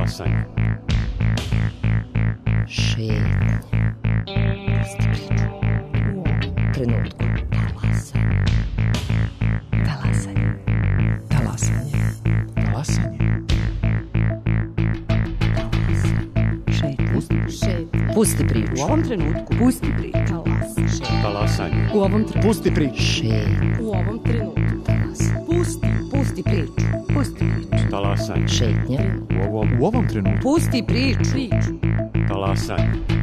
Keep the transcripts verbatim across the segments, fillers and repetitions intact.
Talasanje. Šetnja. Pusti priču. U trenutku. Talasanje. Talasanje. Talasanje. Šetnja. Šetnja. Pusti priču. U ovom trenutku. Pusti priču. Talasanje. Talasanje. U ovom trenutku. Pusti priču. Šetnja. U ovom trenutku. Talasanje. Pusti. Pusti priču. Pusti priču. Talasanje. Šetnja. U ovom, U ovom trenutku. Pusti priču. Priču. talasanje.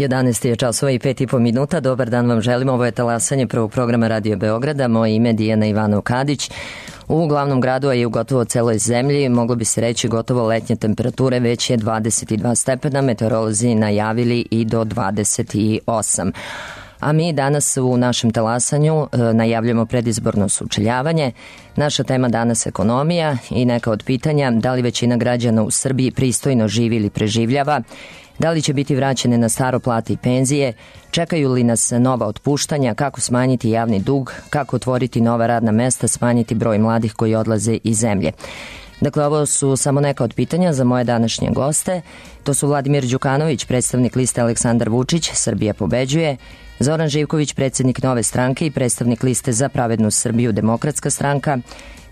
jedanaest je časova i pet i po minuta. Dobar dan vam želim. Ovo je talasanje prvog programa Radio Beograda. Moje ime je Dijana Ivanov-Kadić. U glavnom gradu, a i u gotovo celoj zemlji, moglo bi se reći gotovo letnje temperature, već je dvadeset dva stepena, meteorolozi najavili i do dvadeset osam. A mi danas u našem talasanju e, najavljamo predizborno sučeljavanje. Naša tema danas ekonomija i neka od pitanja da li većina građana u Srbiji pristojno živi ili preživljava, da li će biti vraćene na staro plate i penzije, čekaju li nas nova otpuštanja, kako smanjiti javni dug, kako otvoriti nova radna mesta, smanjiti broj mladih koji odlaze iz zemlje. Dakle, ovo su samo neka od pitanja za moje današnje goste. To su Vladimir Đukanović, predstavnik liste Aleksandar Vučić, Srbija pobeđuje, Zoran Živković, predsjednik Nove stranke i predstavnik liste Za pravednu Srbiju, Demokratska stranka,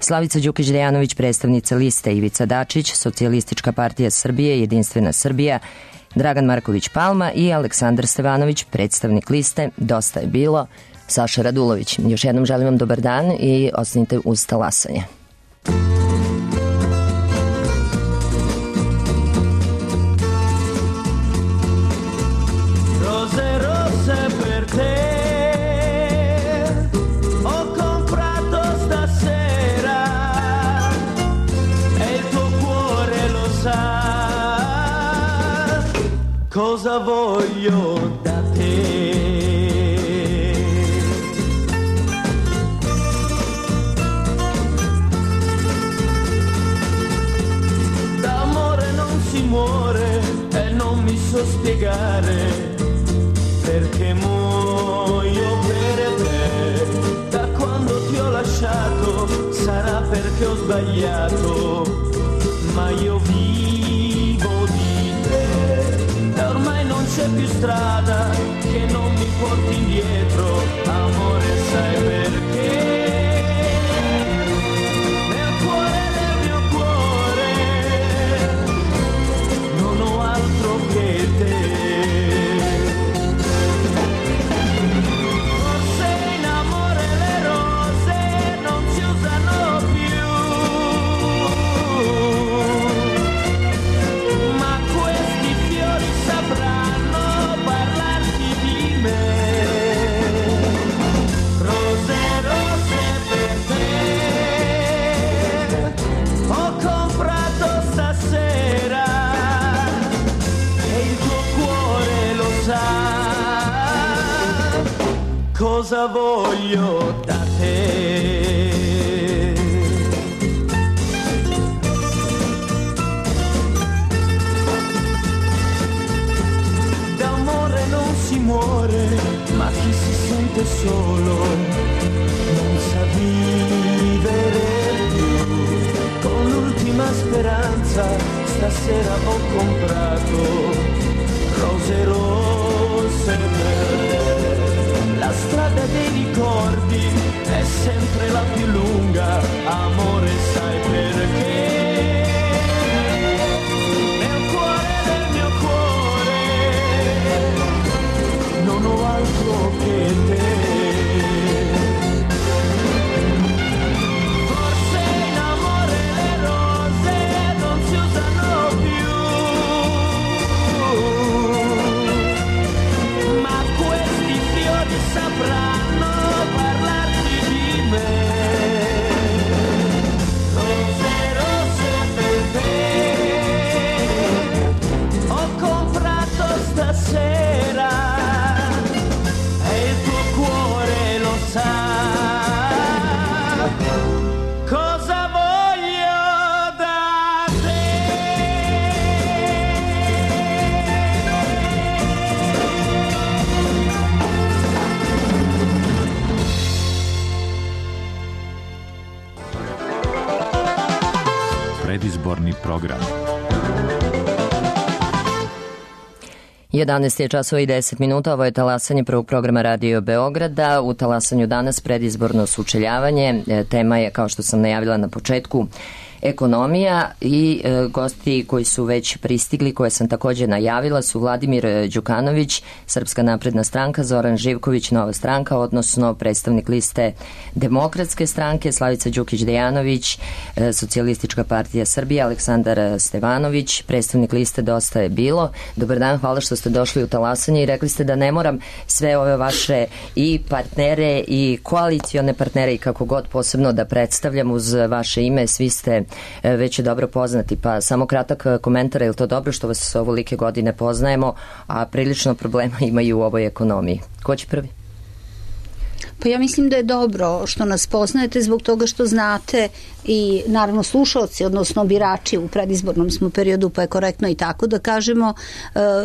Slavica Đukić-Dejanović, predstavnica liste Ivica Dačić, Socijalistička partija Srbije, Jedinstvena Srbija, Dragan Marković Palma i Aleksandar Stevanović, predstavnik liste Dosta je bilo, Saša Radulović. Još jednom želim vam dobar dan i ostanite uz talasanje. Cosa voglio da te? D'amore non si muore e non mi so spiegare perché muoio per te. Da quando ti ho lasciato sarà perché ho sbagliato, ma io vivo di te. Ormai non c'è più strada che non mi porti indietro, amore, sai perché? Nel cuore del mio cuore non ho altro che te. Forse in amore le rose non si usano più, ma questi fiori sapranno parlarti di me. Rose, rose per te ho comprato stasera e il tuo cuore lo sa cosa voglio da te. Si muore, ma chi si sente solo non sa vivere più. Con l'ultima speranza stasera ho comprato rose rosse per te. La strada dei ricordi è sempre la più lunga, amore, sai perché? Non ho altro che te. Forse in amore le rose non si usano più, ma predizborni program. jedanaest je časova i deset minuta, ovo je talasanje prvog programa Radio Beograda. U talasanju danas predizborno sučeljavanje. Tema je, kao što sam najavila na početku, ekonomija i e, gosti koji su već pristigli, koje sam takođe najavila, su Vladimir Đukanović, Srpska napredna stranka, Zoran Živković, Nova stranka, odnosno predstavnik liste Demokratske stranke, Slavica Đukić-Dejanović, e, Socijalistička partija Srbije, Aleksandar Stevanović, predstavnik liste Dosta je bilo. Dobar dan, hvala što ste došli u talasanje i rekli ste da ne moram sve ove vaše i partnere i koalicione partnere i kako god posebno da predstavljam uz vaše ime, svi ste već je dobro poznati, pa samo kratak komentar, je li to dobro što vas ovolike godine poznajemo, a prilično problema imaju u ovoj ekonomiji? Ko će prvi? Pa ja mislim da je dobro što nas poznajete zbog toga što znate i naravno slušalci, odnosno birači u predizbornom smo periodu, pa je korektno i tako da kažemo,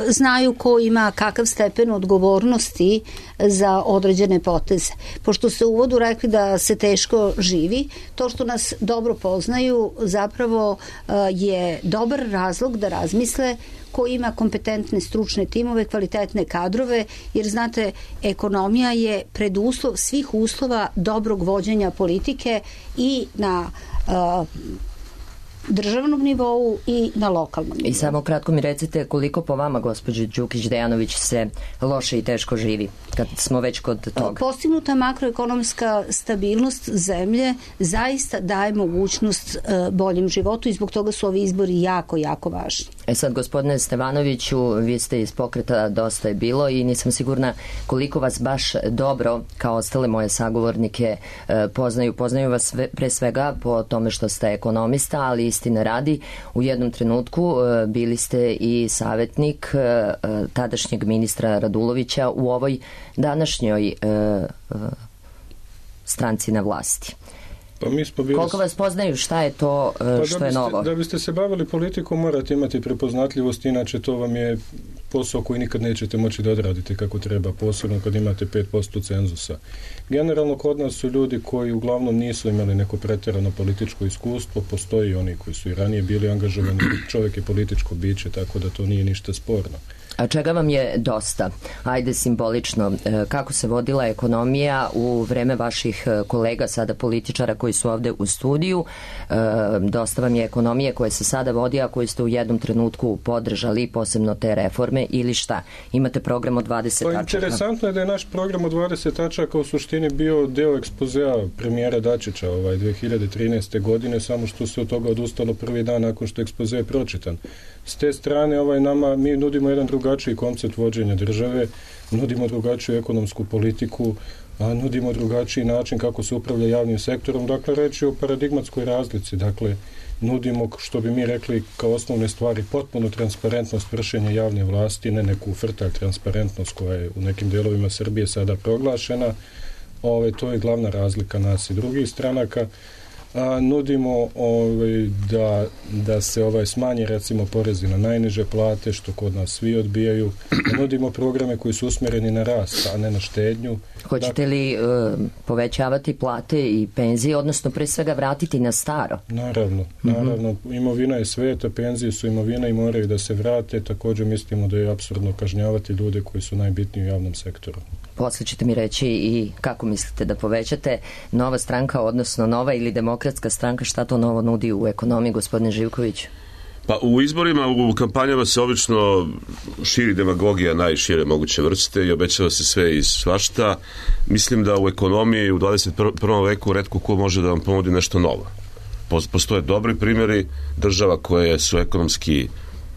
znaju ko ima kakav stepen odgovornosti za određene poteze. Pošto ste u uvodu rekli da se teško živi, to što nas dobro poznaju zapravo je dobar razlog da razmisle ko ima kompetentne stručne timove, kvalitetne kadrove, jer znate, ekonomija je preduslov svih uslova dobrog vođenja politike i na uh, državnom nivou i na lokalnom nivou. I samo kratko mi recite koliko po vama, gospođe Đukić-Dejanović, se loše i teško živi, kad smo već kod toga? Postignuta makroekonomska stabilnost zemlje zaista daje mogućnost uh, boljem životu i zbog toga su ovi izbori jako, jako važni. E sad, gospodine Stevanoviću, vi ste iz pokreta Dosta je bilo i nisam sigurna koliko vas baš dobro, kao ostale moje sagovornike, poznaju. Poznaju vas pre svega po tome što ste ekonomista, ali istine radi, u jednom trenutku bili ste i savjetnik tadašnjeg ministra Radulovića u ovoj današnjoj stranci na vlasti. Pa mi smo bili... Koliko vas poznaju, šta je to pa što da je biste, novo? Da biste se bavili politikom morate imati prepoznatljivost, inače to vam je posao koji nikad nećete moći da odradite kako treba, posebno kad imate pet posto cenzusa. Generalno kod nas su ljudi koji uglavnom nisu imali neko pretjerano političko iskustvo, postoji oni koji su i ranije bili angažovani, čovjek je političko biće, tako da to nije ništa sporno. A čega vam je dosta? Ajde simbolično, kako se vodila ekonomija u vreme vaših kolega, sada političara koji su ovde u studiju? Dosta vam je ekonomije koje se sada vodi, a koje ste u jednom trenutku podržali, posebno te reforme, ili šta? Imate program od dvadeset pa, tačaka. Interesantno je da je naš program od dvadeset tačaka u suštini bio deo ekspozea premijera Dačića ovaj, dve hiljade trinaeste. godine, samo što se od toga odustalo prvi dan nakon što ekspoze je pročitan. S te strane ovaj, nama, mi nudimo jedan drugačiji koncept vođenja države, nudimo drugačiju ekonomsku politiku, a nudimo drugačiji način kako se upravlja javnim sektorom. Dakle, reći o paradigmatskoj razlici. Dakle, nudimo, što bi mi rekli kao osnovne stvari, potpuno transparentnost vršenja javne vlasti, ne neku frtalj transparentnost koja je u nekim delovima Srbije sada proglašena. Ove, to je glavna razlika nas i drugih stranaka. A, nudimo ovaj, da, da se ovaj smanji recimo porezi na najniže plate, što kod nas svi odbijaju. Nudimo programe koji su usmjereni na rast, a ne na štednju. Hoćete li uh, povećavati plate i penzije, odnosno pre svega vratiti na staro? Naravno, naravno. Mm-hmm. Imovina je sveta, penzije su imovina i moraju da se vrate. Također mislimo da je apsurdno kažnjavati ljude koji su najbitniji u javnom sektoru. Posle ćete mi reći i kako mislite da povećate. Nova stranka, odnosno Nova ili Demokratska stranka, šta to novo nudi u ekonomiji, gospodine Živković? Pa u izborima, u kampanjama se obično širi demagogija najšire moguće vrste i obećava se sve i svašta. Mislim da u ekonomiji u dvadeset prvom veku retko ko može da vam ponudi nešto novo. Postoje dobri primjeri država koje su ekonomski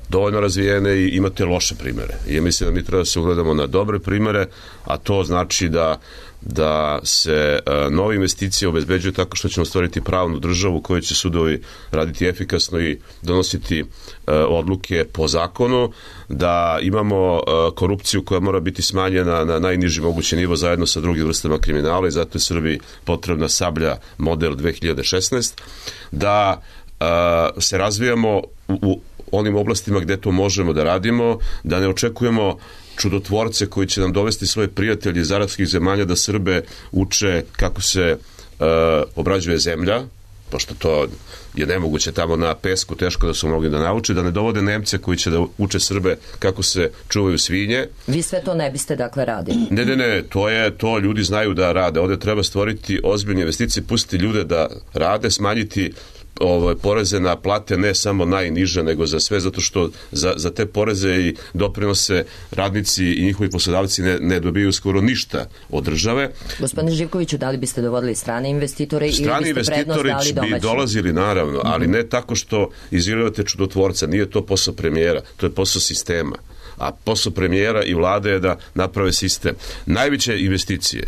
dovoljno razvijene i imate loše primjere. I mislim da mi treba da se ugledamo na dobre primjere, a to znači da da se uh, nove investicije obezbeđuju tako što ćemo stvoriti pravnu državu u kojoj će sudovi raditi efikasno i donositi uh, odluke po zakonu, da imamo uh, korupciju koja mora biti smanjena na najniži mogući nivo zajedno sa drugim vrstama kriminala i zato je Srbiji potrebna Sablja model dve hiljade šesnaeste, da uh, se razvijamo u, u onim oblastima gde to možemo da radimo, da ne očekujemo čudotvorce koji će nam dovesti svoje prijatelje iz arapskih zemalja da Srbe uče kako se uh, obrađuje zemlja, pošto to je nemoguće tamo na pesku, teško da su mogli da nauče, da ne dovode Nemce koji će da uče Srbe kako se čuvaju svinje. Vi sve to ne biste dakle radili? Ne, ne, ne, to je, to ljudi znaju da rade. Ovde treba stvoriti ozbiljne investicije, pustiti ljude da rade, smanjiti Ovo, poreze na plate ne samo najniže, nego za sve, zato što za, za te poreze i doprinose radnici i njihovi poslodavci ne, ne dobiju skoro ništa od države. Gospodine Živkoviću, da li biste dovodili strane investitore strani ili biste prednost dali domaćim? Strani investitori bi dolazili, naravno, ali ne tako što izvirujete čudotvorca. Nije to posao premijera, to je posao sistema. A posao premijera i vlade je da naprave sistem. Najveće investicije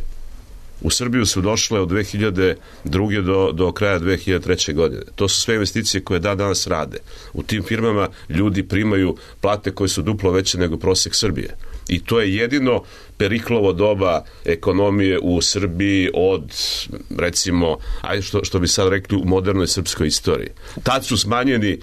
u Srbiju su došle od dve hiljade druge do, do kraja dve hiljade treće. godine. To su sve investicije koje da danas rade. U tim firmama ljudi primaju plate koje su duplo veće nego prosek Srbije. I to je jedino Periklovo doba ekonomije u Srbiji od, recimo, ajde što, što bi sad rekli, u modernoj srpskoj istoriji. Tad su smanjeni,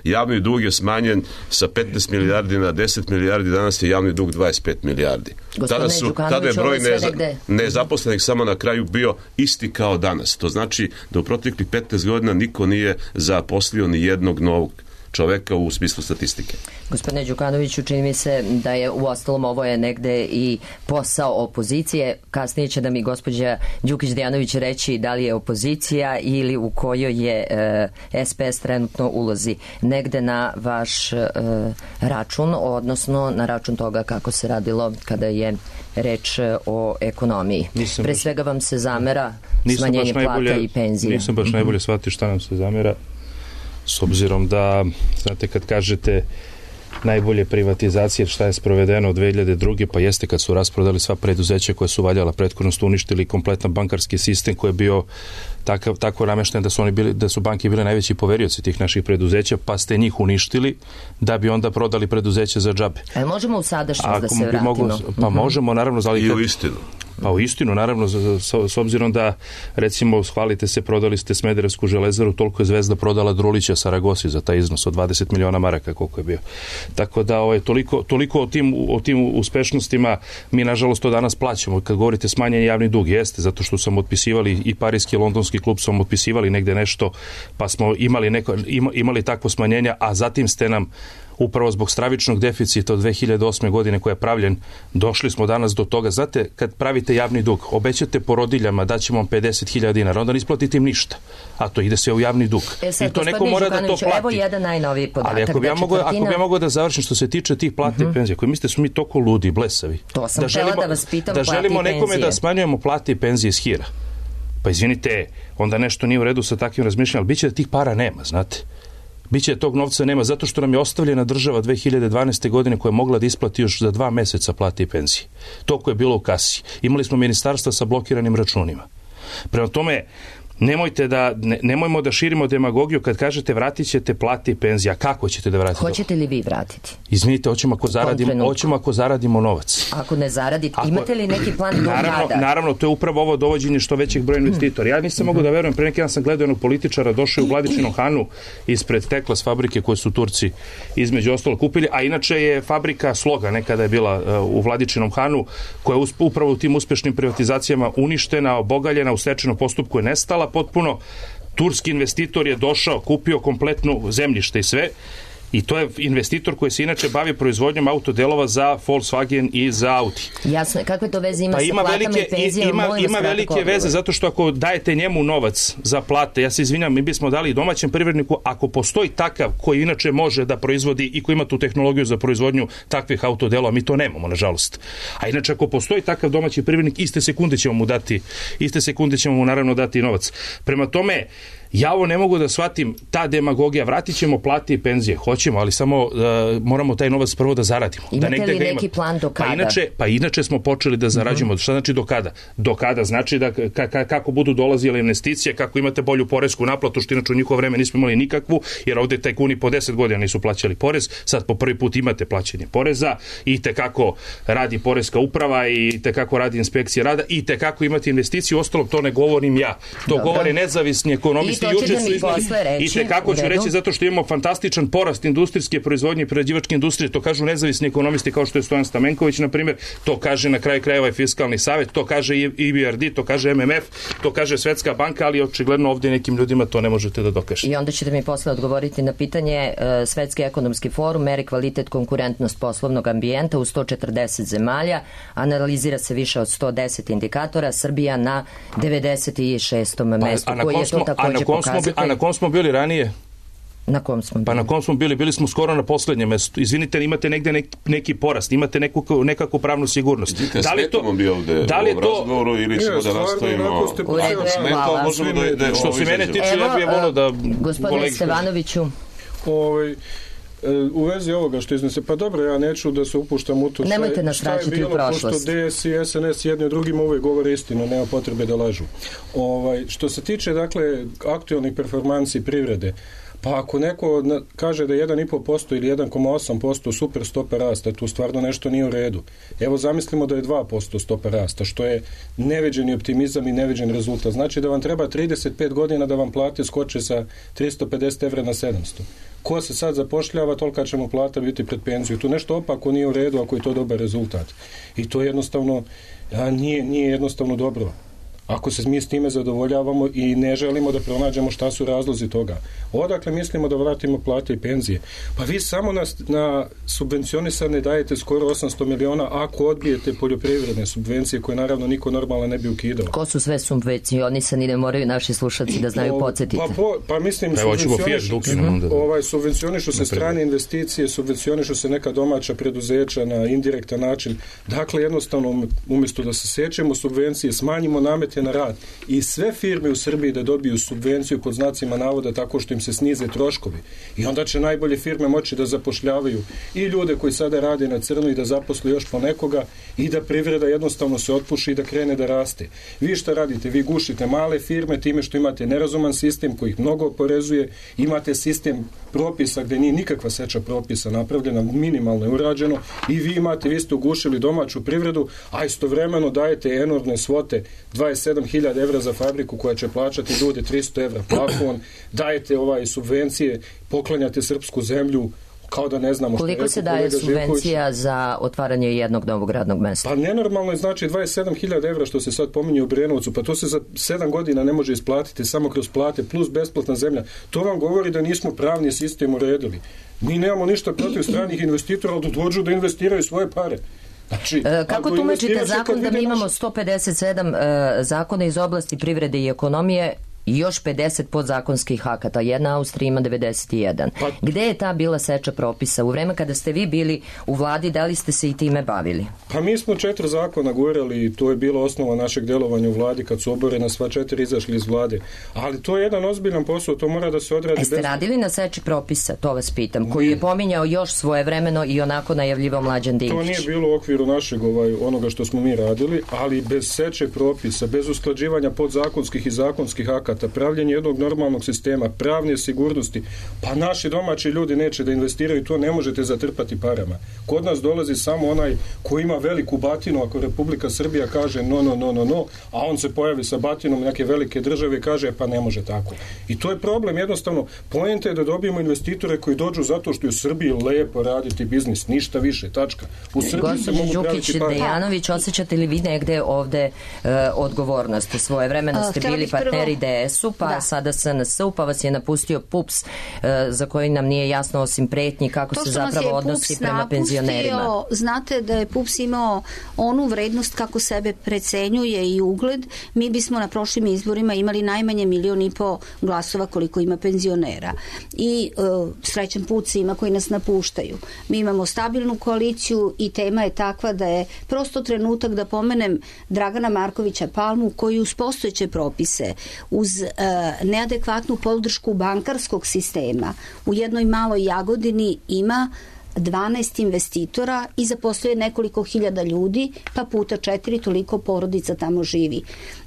javni dug je smanjen sa petnaest milijardi na deset milijardi, danas je javni dug dvadeset pet milijardi. Tada, su, tada je broj neza, nezaposlenih samo na kraju bio isti kao danas. To znači da u proteklih petnaest godina niko nije zaposlio ni jednog novog čoveka u smislu statistike. Gospodine Đukanoviću, čini mi se da je u ostalom ovo je negde i posao opozicije. Kasnije će da mi gospođa Đukić-Dejanović reći da li je opozicija ili u kojoj je e, S P S trenutno ulozi. Negde na vaš e, račun, odnosno na račun toga kako se radilo kada je reč o ekonomiji. Nisam Pre svega vam se zamera smanjenje plata i penzije. Nisam baš najbolje shvatio šta nam se zamera. S obzirom da, znate, kad kažete najbolje privatizacije, šta je sprovedeno od dve hiljade druge. pa jeste kad su rasprodali sva preduzeća koje su valjala prethodno, su uništili kompletan bankarski sistem koji je bio takav, tako namešten da su, oni bili, da su banke bile najveći poverioci tih naših preduzeća, pa ste njih uništili da bi onda prodali preduzeće za džabe. E, možemo u sadašnjost da se vratimo? Mogu, pa uh-huh. možemo, naravno. Zali, I u istinu. Pa u istinu, naravno, s, s obzirom da, recimo, hvalite se, prodali ste Smederevsku železaru, toliko je Zvezda prodala Drulića Saragosi za taj iznos od dvadeset miliona maraka, koliko je bio. Tako da, ovaj, toliko, toliko o tim, o tim uspešnostima mi, nažalost, to danas plaćamo. Kad govorite smanjen javni dug, jeste, zato što sam otpisivali i Parijski i Londonski klub, sam otpisivali negde nešto, pa smo imali, neko, ima, imali takvo smanjenja, a zatim ste nam upravo zbog stravičnog deficita od dve hiljade osme. godine koji je pravljen, došli smo danas do toga. Znate, kad pravite javni dug, obećate porodiljama da ćemo vam pedeset hiljada dinara, onda ne isplatite im ništa, a to ide sve u javni dug. E sad, i to neko mora da to plati. Evo jedan najnoviji podatak. Ali ako bi ja mogao četvrtina... mogu da završim što se tiče tih plata uh-huh. i penzija, koji mislite su mi toliko ludi, blesavi. To sam da želimo, da vas pitam, da želimo nekome da smanjujemo plate i penzije iz hira. Pa izvinite, onda nešto nije u redu sa takvim razmišljanjem, ali biće da tih para nema, znate. Biće tog novca nema, zato što nam je ostavljena država dve hiljade dvanaeste. godine koja je mogla da isplati još za dva meseca plate i penzije. Toliko je bilo u kasi. Imali smo ministarstva sa blokiranim računima. Prema tome, nemojte da, ne, nemojmo da širimo demagogiju kad kažete vratit ćete plate i penzije. A kako ćete da vratite? Hoćete li vi vratiti? Izvinite, hoćemo ako zaradimo, hoćemo ako zaradimo novac. Ako ne zaradite, ako, imate li neki plan do naravno, kada? Naravno, to je upravo ovo dovođenje što većeg broja investitora. Ja nisam mogu da verujem, pre neki dan sam gledao jednog političara, došao u Vladičinom Hanu ispred Teklas fabrike koje su Turci između ostalo kupili, a inače je fabrika Sloga, nekada je bila uh, u Vladičinom Hanu, koja je upravo u tim uspešnim privatizacijama uništena, obogaljena, u stečajnom postupku je nestala potpuno. Turski investitor je došao, kupio kompletnu zemljište i sve, i to je investitor koji se inače bavi proizvodnjom autodelova za Volkswagen i za Audi. Jasno, kakve to veze ima pa sa ima platama velike, i penzijama? Ima, ima velike veze, zato što ako dajete njemu novac za plate, ja se izvinjam, mi bismo dali domaćem privredniku, ako postoji takav koji inače može da proizvodi i koji ima tu tehnologiju za proizvodnju takvih autodelova, mi to nemamo, nažalost. A inače, ako postoji takav domaći privrednik, iste sekunde ćemo mu dati, iste sekunde ćemo mu naravno dati novac. Prema tome, ja ovo ne mogu da shvatim, ta demagogija, vratit ćemo plate i penzije, hoćemo, ali samo uh, moramo taj novac prvo da zaradimo. Imate da li neki plan do kada? Pa inače, pa inače smo počeli da zarađujemo. Uh-huh. Šta znači do kada? Do kada znači da ka, ka, kako budu dolazile investicije, kako imate bolju poresku naplatu, što inače u njihovo vreme nismo imali nikakvu, jer ovde tajkuni po deset godina nisu plaćali porez, sad po prvi put imate plaćanje poreza, i te kako radi poreska uprava, i te kako radi inspekcija rada, i te kako imate investiciju, ostalo to ne govorim ja. To Dobre. govore nezavisni ekonomisti Ekonomisti to ćete juče mi su iznali, posle reći, i tekako u ću redu. reći zato što imamo fantastičan porast industrijske proizvodnje i prerađivačke industrije, to kažu nezavisni ekonomisti kao što je Stojan Stamenković, na primjer, to kaže na kraju krajeva i Fiskalni savjet, to kaže i E B R D, to kaže M M F, to kaže Svetska banka, ali očigledno ovdje nekim ljudima to ne možete da dokažete. I onda ćete mi posle odgovoriti na pitanje e, Svetski ekonomski forum meri kvalitet konkurentnost poslovnog ambijenta u sto četrdeset zemalja, analizira se više od sto deset indikatora, Srbija na devedeset šestom mestu, koji je to također pokazatelj. A na kom smo bili ranije? Na kom smo bili? Pa na kom smo bili? Bili smo skoro na posljednjem mestu. Izvinite, imate negde neki, neki porast, imate neku, nekakvu pravnu sigurnost. Vidite, da li je to, bio ovde da li je u to razgovoru ili ćemo Ne, da nastavimo? U redu, hvala. Možemo da, da Što se mene tiče, ja bih volio da... Gospodine kolegi- Stevanoviću, Ovaj, u vezi ovoga što iznese, pa dobro, ja neću da se upuštam u to. Šta je- Nemojte nas šta je vraćati u bilo, prošlost. Pošto D S i S N S jedni drugima uvek govore istinu, nema potrebe da lažu. Ovaj, što se tiče, dakle, aktualnih performansi privrede, pa ako neko na- kaže da je jedan i po posto ili jedan zarez osam posto super stopa rasta, tu stvarno nešto nije u redu. Evo zamislimo da je dva posto stopa rasta, što je neviđeni optimizam i neviđen rezultat. Znači da vam treba trideset pet godina da vam plate skoče sa tristo pedeset evra na sedamsto. Ko se sad zapošljava, tolika će mu plata biti pred penziju. Tu nešto opako nije u redu ako je to dobar rezultat. I to jednostavno a, nije, nije jednostavno dobro. Ako se mi s time zadovoljavamo i ne želimo da pronađemo šta su razlozi toga. Odakle mislimo da vratimo plate i penzije? Pa vi samo na, na subvencionisane dajete skoro osamsto miliona ako odbijete poljoprivredne subvencije koje naravno niko normalno ne bi ukidao. ko su sve subvencionisani, ne moraju naši slušalci da znaju, podsjetiti. Pa, po, pa mislim, Pa evo, ćemo Fiat da ukinemo onda. ovaj, subvencionišu se strane investicije, subvencionišu se neka domaća preduzeća na indirektan način. Dakle, jednostavno, umjesto da se sećemo subvencije, smanjimo namete na rad i sve firme u Srbiji da dobiju subvenciju pod znacima navoda tako što im se snize troškovi. I onda će najbolje firme moći da zapošljavaju i ljude koji sada rade na crno i da zaposle još po nekoga i da privreda jednostavno se otpuši i da krene da raste. Vi šta radite? Vi gušite male firme time što imate nerazuman sistem koji ih mnogo oporezuje, imate sistem propisa gde nije nikakva seča propisa napravljena, minimalno je urađeno i vi imate, vi ste ugušili domaću privredu, a istovremeno dajete enormne svote, dvadeset sedam hiljada evra za fabriku koja će plaćati ljude tristo evra plafon, dajete ovaj subvencije, poklanjate srpsku zemlju, kao da ne znamo što je Koliko se rekao daje kolega Živković. subvencija za otvaranje jednog novog radnog mesta? Pa nenormalno je, znači dvadeset sedam hiljada evra što se sad pominje u Brenovcu, pa to se za sedam godina ne može isplatiti samo kroz plate plus besplatna zemlja. To vam govori da nismo pravni sistem uredili. Mi nemamo ništa protiv stranih investitora, ali da dođu da investiraju svoje pare. Znači, E, kako ako tumačite investiraš, zakon kad da mi vide imamo naše- sto pedeset sedam e, zakona iz oblasti privrede i ekonomije i još pedeset podzakonskih akata? Jedna Austrija ima devedeset jedan. Pa- Gde je ta bila seča propisa? U vreme kada ste vi bili u vladi, da li ste se i time bavili? Pa mi smo četiri zakona gurali i to je bilo osnova našeg delovanja u vladi kad su oborena sva četiri izašli iz vlade. Ali to je jedan ozbiljan posao, to mora da se odradi. E ste bez- radili na seči propisa, to vas pitam, koji je pominjao još svojevremeno i onako najavljivao Mlađan Dinkić? To nije bilo u okviru našeg ovaj, onoga što smo mi radili, ali bez seče propisa, bez usklađivanja podzakonskih i zakonskih akata, pravljenje jednog normalnog sistema, pravne sigurnosti, pa naši domaći ljudi neće da investiraju, to ne možete zatrpati parama. Kod nas dolazi samo onaj koji ima veliku batinu, ako Republika Srbija kaže no, no, no, no, no, a on se pojavi sa batinom neke velike države i kaže pa ne može tako. I to je problem, jednostavno, poenta je da dobijemo investitore koji dođu zato što je u Srbiji lepo raditi biznis, ništa više, tačka. U Srbiji se Gospođo mogu Đukić praviti pare. Dejanović, osjećate li vi negde ovde e, odgovornost? Svoje vremeno A, ste htjela bili bih prvo- partneri D S U, pa Da. sada S N S-u, pa vas je napustio P U P S, e, za koji nam nije jasno osim pretnji kako To se što nas je zapravo P U P odnosi S prema napustio, penzionerima. znate da je P U P S imao onu vrednost kako sebe precenjuje i ugled. Mi bismo na prošlim izborima imali najmanje milion i po glasova koliko ima penzionera. I e, srećan put svima koji nas napuštaju. Mi imamo stabilnu koaliciju i tema je takva da je prosto trenutak da pomenem Dragana Markovića Palmu koji uz postojeće propise, uz e, neadekvatnu podršku bankarskog sistema u jednoj maloj Jagodini ima dvanaest investitora i zaposluje nekoliko hiljada ljudi, pa puta četiri toliko porodica tamo živi.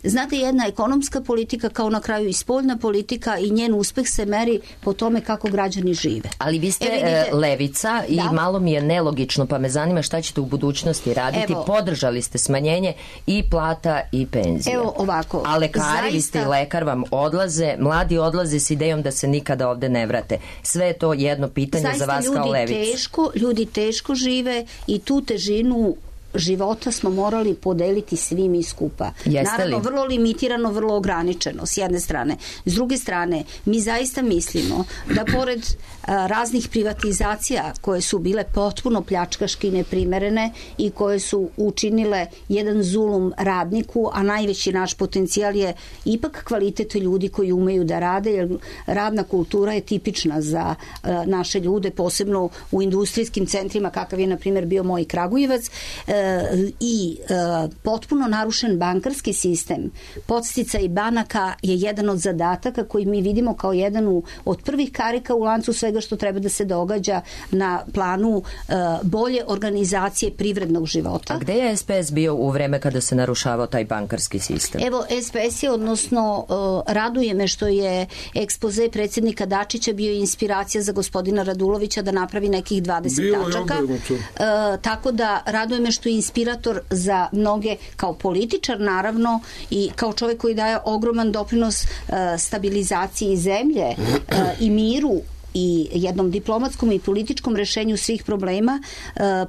Znate, jedna ekonomska politika kao na kraju i spoljna politika i njen uspeh se meri po tome kako građani žive. Ali vi ste e, vidite, levica i da? malo mi je nelogično, pa me zanima šta ćete u budućnosti raditi. Evo, podržali ste smanjenje i plata i penzija. Evo ovako. A lekari, zaista, vi ste i lekar, vam odlaze, mladi odlaze s idejom da se nikada ovde ne vrate. Sve je to jedno pitanje zaista za vas kao levicu. Teško, ljudi teško žive i tu težinu života smo morali podeliti svi mi skupa. Jeste Naravno, li? vrlo limitirano, vrlo ograničeno s jedne strane. S druge strane, mi zaista mislimo da pored a, raznih privatizacija koje su bile potpuno pljačkaški neprimerene i koje su učinile jedan zulum radniku, a najveći naš potencijal je ipak kvalitet ljudi koji umeju da rade, jer radna kultura je tipična za a, naše ljude, posebno u industrijskim centrima, kakav je, na primjer, bio moj Kragujevac, e, i e, potpuno narušen bankarski sistem. Podsticaj banaka je jedan od zadataka koji mi vidimo kao jedan u, od prvih karika u lancu svega što treba da se događa na planu e, bolje organizacije privrednog života. A gde je S P S bio u vreme kada se narušavao taj bankarski sistem? Evo, S P S je, odnosno e, raduje me što je ekspoze predsjednika Dačića bio inspiracija za gospodina Radulovića da napravi nekih dvadeset bio tačaka. E, tako da raduje me što inspirator za mnoge kao političar naravno i kao čovjek koji daje ogroman doprinos uh, stabilizaciji zemlje uh, i miru i jednom diplomatskom i političkom rešenju svih problema,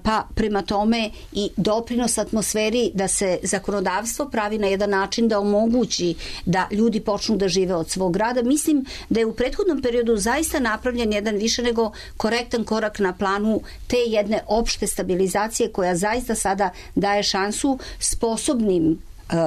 pa prema tome i doprinos atmosferi da se zakonodavstvo pravi na jedan način da omogući da ljudi počnu da žive od svog rada. Mislim da je u prethodnom periodu zaista napravljen jedan više nego korektan korak na planu te jedne opšte stabilizacije koja zaista sada daje šansu sposobnim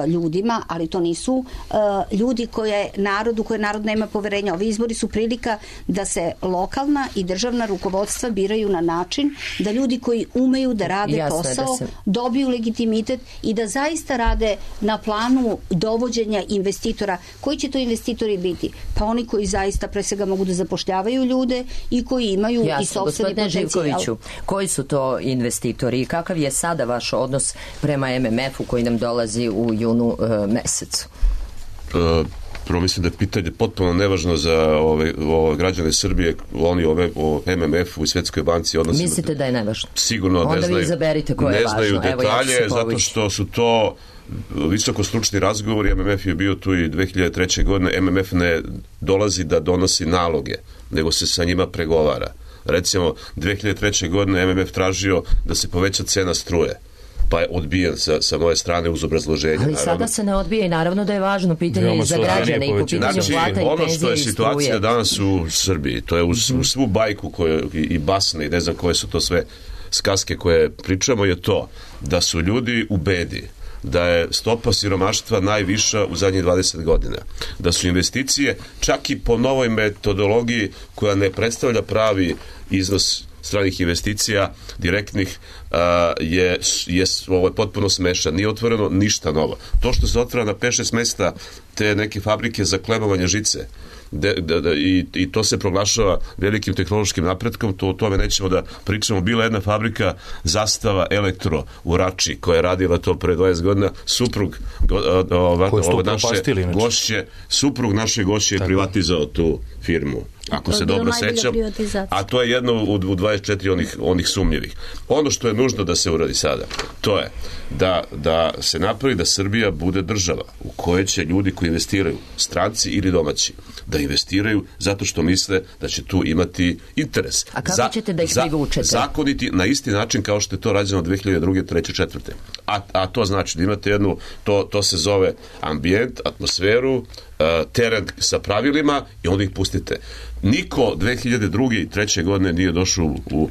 ljudima, ali to nisu uh, ljudi koje narodu, koje narod nema poverenja. Ovi izbori su prilika da se lokalna i državna rukovodstva biraju na način da ljudi koji umeju da rade Jasne, posao da se... dobiju legitimitet i da zaista rade na planu dovođenja investitora. Koji će to investitori biti? Pa oni koji zaista pre svega mogu da zapošljavaju ljude i koji imaju Jasne, i sopstveni potencijal. Živkoviću, koji su to investitori i kakav je sada vaš odnos prema M M F-u koji nam dolazi u junu e, mesecu? E, prvo mislim da je pitanje potpuno nevažno za ove, ove građane Srbije, oni ove, o M M F-u i Svetskoj banci odnosno. Mislite da je nevažno? Sigurno Onda ne znaju, vi izaberite koje je važno. Ne znaju detalje, Evo, ja zato što su to visoko stručni razgovori. M M F je bio tu i dve hiljade treće. godine. M M F ne dolazi da donosi naloge, nego se sa njima pregovara. Recimo, dve hiljade treće. godine M M F tražio da se poveća cena struje, pa je odbijen sa, sa moje strane uz obrazloženje. Ali naravno. Sada se ne odbija i naravno da je važno pitanje i za građane i po pitanju znači, plata i penzije i struje. Ono što je situacija danas u Srbiji, to je u, u svu bajku koje, i, i basne i ne znam koje su to sve skaske koje pričamo, je to da su ljudi u bedi, da je stopa siromaštva najviša u zadnjih dvadeset godina, da su investicije čak i po novoj metodologiji koja ne predstavlja pravi iznos stranih investicija direktnih uh, je, je ovo je potpuno smešan. Nije otvoreno ništa novo. To što se otvara na pet šest mesta te neke fabrike za klebovanje žice de, de, de, i, i to se proglašava velikim tehnološkim napretkom, to o tome nećemo da pričamo. Bila jedna fabrika Zastava Elektro u Rači koja je radila to pre dvadeset godina. Suprug ova, ova naše gošće, suprug naše gošće je privatizao tu firmu. Ako se dobro sećam, a to je jedno u, u dvadeset četiri onih, onih sumnjivih. Ono što je nužno da se uradi sada, to je da, da se napravi da Srbija bude država u kojoj će ljudi koji investiraju, stranci ili domaći, da investiraju zato što misle da će tu imati interes. A kako za, ćete da ih privučete? Zakoniti na isti način kao što je to rađeno dve hiljade druge, treće, četvrte. A, a to znači da imate jednu, to, to se zove ambijent, atmosferu, teren sa pravilima i onda ih pustite. Niko dve hiljade druge i treće. godine nije došao u, u,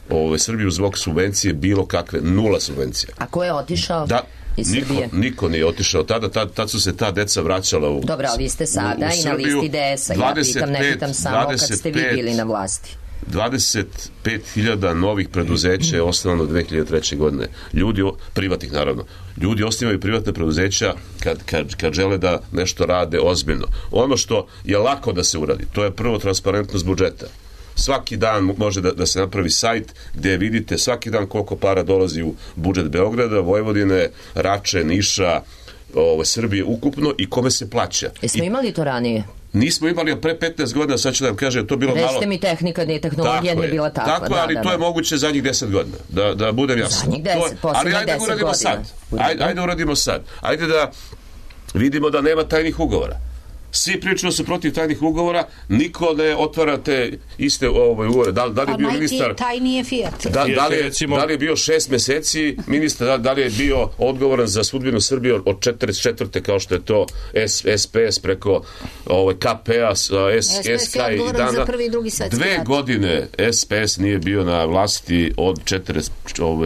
u Srbiju zbog subvencije bilo kakve, nula subvencija. A ko je otišao? Da, iz niko, Srbije? Niko nije otišao. Tada, tad, tad su se ta deca vraćala u Dobro, ali vi ste sada u, u i na listi D S-a. Ja pitam, ne pitam samo kad ste vi bili na vlasti. dvadeset pet hiljada novih preduzeća je osnovano dve hiljade treće. godine. Ljudi, privatnih naravno, ljudi osnivaju privatne preduzeća kad, kad, kad žele da nešto rade ozbiljno. Ono što je lako da se uradi, to je prvo transparentnost budžeta. svaki dan može da, da se napravi sajt gdje vidite svaki dan koliko para dolazi u budžet Beograda, Vojvodine, Rače, Niša, ovo, Srbije ukupno i kome se plaća. Jesmo I, imali to ranije? Nismo imali pre petnaest godina, sad ću da vam kažem, to bilo Rešte malo... Rešte mi tehnika, nije tehnologija, nije bila takva. Tako, ali da, to da, je moguće zadnjih deset godina, da, da budem jasno. Zadnjih deset, ali ajde da uradimo sad. Ajde, ajde uradimo sad. Ajde da vidimo da nema tajnih ugovora. Svi pričaju su protiv tajnih ugovora, niko ne otvara te iste ovaj, ugovore. Da, da li je bio ministar... Tajni je Fiat. Da, da, li je, da li je bio šest meseci ministar, da, da li je bio odgovoran za sudbinu Srbije od četrdeset četvrte kao što je to S, S P S preko ovaj, K P-a, S, S K i dana. Za prvi i drugi svetski Dve rat. godine S P S nije bio na vlasti od četrdeset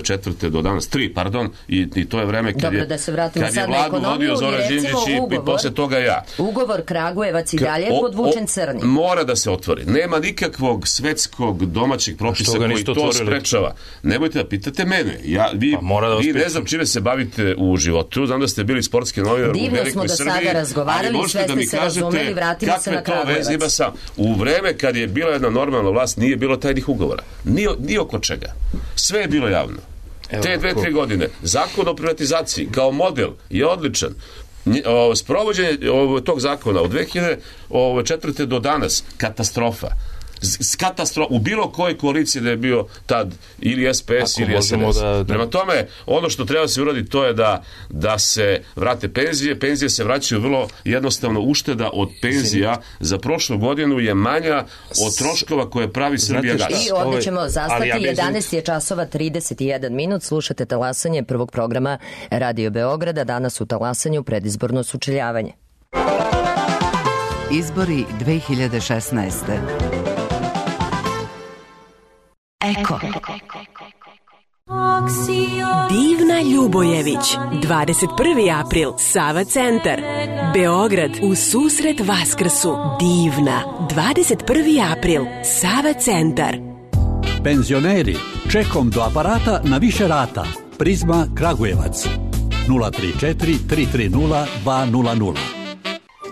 četvrte do danas. Tri, pardon. I, i to je vreme kad Dobro, je, da se vratimo kad sad je na vladu ekonomiju, vodio Zoran Đinđić i, i posle toga ja. Ugovor Kragujevac i dalje O, podvučen o, crni. Mora da se otvori. Nema nikakvog svetskog domaćeg propisa koji to otvorili? Sprečava. Nemojte da pitate mene. Ja, vi, pa da vi ne znam čime se bavite u životu. Znam da ste bili sportski novinar u Velikoj smo do Srbiji. Sada razgovarali, ali sve ste da mi se kažete razumeli, vratimo se na Kragujevac. Ima sam. U vreme kad je bila jedna normalna vlast nije bilo tajnih ugovora. Ni, ni oko čega. Sve je bilo javno. Evo, Te dve, tri godine. Zakon o privatizaciji kao model je odličan. Sprovođenje tog zakona od dve hiljade četvrte do danas katastrofa. Katastrofa u bilo kojoj koaliciji da je bio tad ili S P S ili S N S. Da, da. Prema tome, ono što treba se uraditi to je da, da se vrate penzije. Penzije se vraćaju vrlo jednostavno. Ušteda od penzija za prošlu godinu je manja od troškova koje pravi Srbija gas. I ovdje ćemo zastati. Ja jedanaest je časova trideset jedan minut. Slušate talasanje prvog programa Radio Beograda. Danas u talasanju predizborno sučeljavanje. Izbori dve hiljade šesnaeste. Eko. Divna Ljubojević, dvadeset prvi april, Sava centar, Beograd, u susret Vaskrsu. Divna, dvadeset prvi april, Sava centar. Penzioneri, čekom do aparata na više rata. Prizma Kragujevac, nula tri četiri tri tri nula dva nula nula.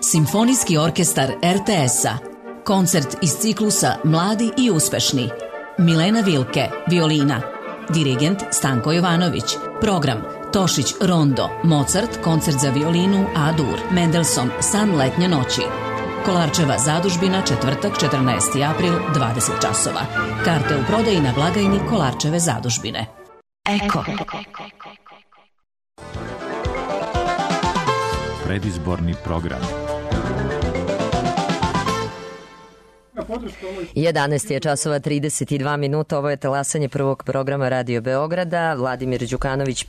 Simfonijski orkestar R T S-a. Koncert iz ciklusa Mladi i uspešni. Milena Vilke, violina. Dirigent Stanko Jovanović. Program Tošić Rondo, Mozart, koncert za violinu A-dur, Mendelssohn, San letnje noći. Kolarčeva zadužbina, četvrtak, četrnaesti april, dvadeset časova. Karte u prodaji na blagajni Kolarčeve zadužbine. Eko. Predizborni program. jedanaest je časova trideset dva minuta. Ovo je talasanje prvog programa Radio Beograda. Vladimir Đukanović,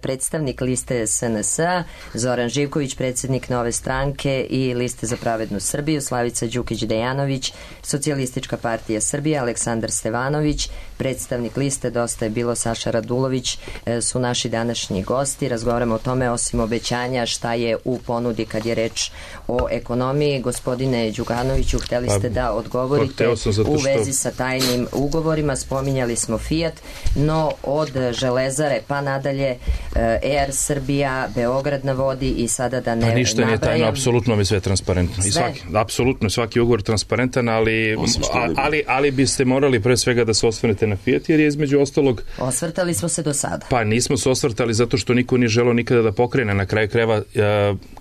predstavnik liste S N S-a, Zoran Živković, predsjednik Nove stranke i liste za pravednu Srbiju, Slavica Đukić-Dejanović, Socijalistička partija Srbije, Aleksandar Stevanović, predstavnik liste Dosta je bilo, Saša Radulović su naši današnji gosti. Razgovaramo o tome, osim obećanja, šta je u ponudi kad je reč o ekonomiji. Gospodine Đukanoviću, hteli ste da odgovorite u vezi sa tajnim ugovorima. Spominjali smo Fiat, no od Železare pa nadalje Air Srbija, Beograd na vodi i sada da ne nabrajam. Ništa nije tajno, apsolutno je sve transparentno. I svaki, apsolutno svaki ugovor transparentan, ali, ali, ali biste morali pre svega da se osvrnete na Fiat, jer je između ostalog... Osvrtali smo se do sada. Pa nismo se osvrtali zato što niko nije želeo nikada da pokrene. Na kraju krajeva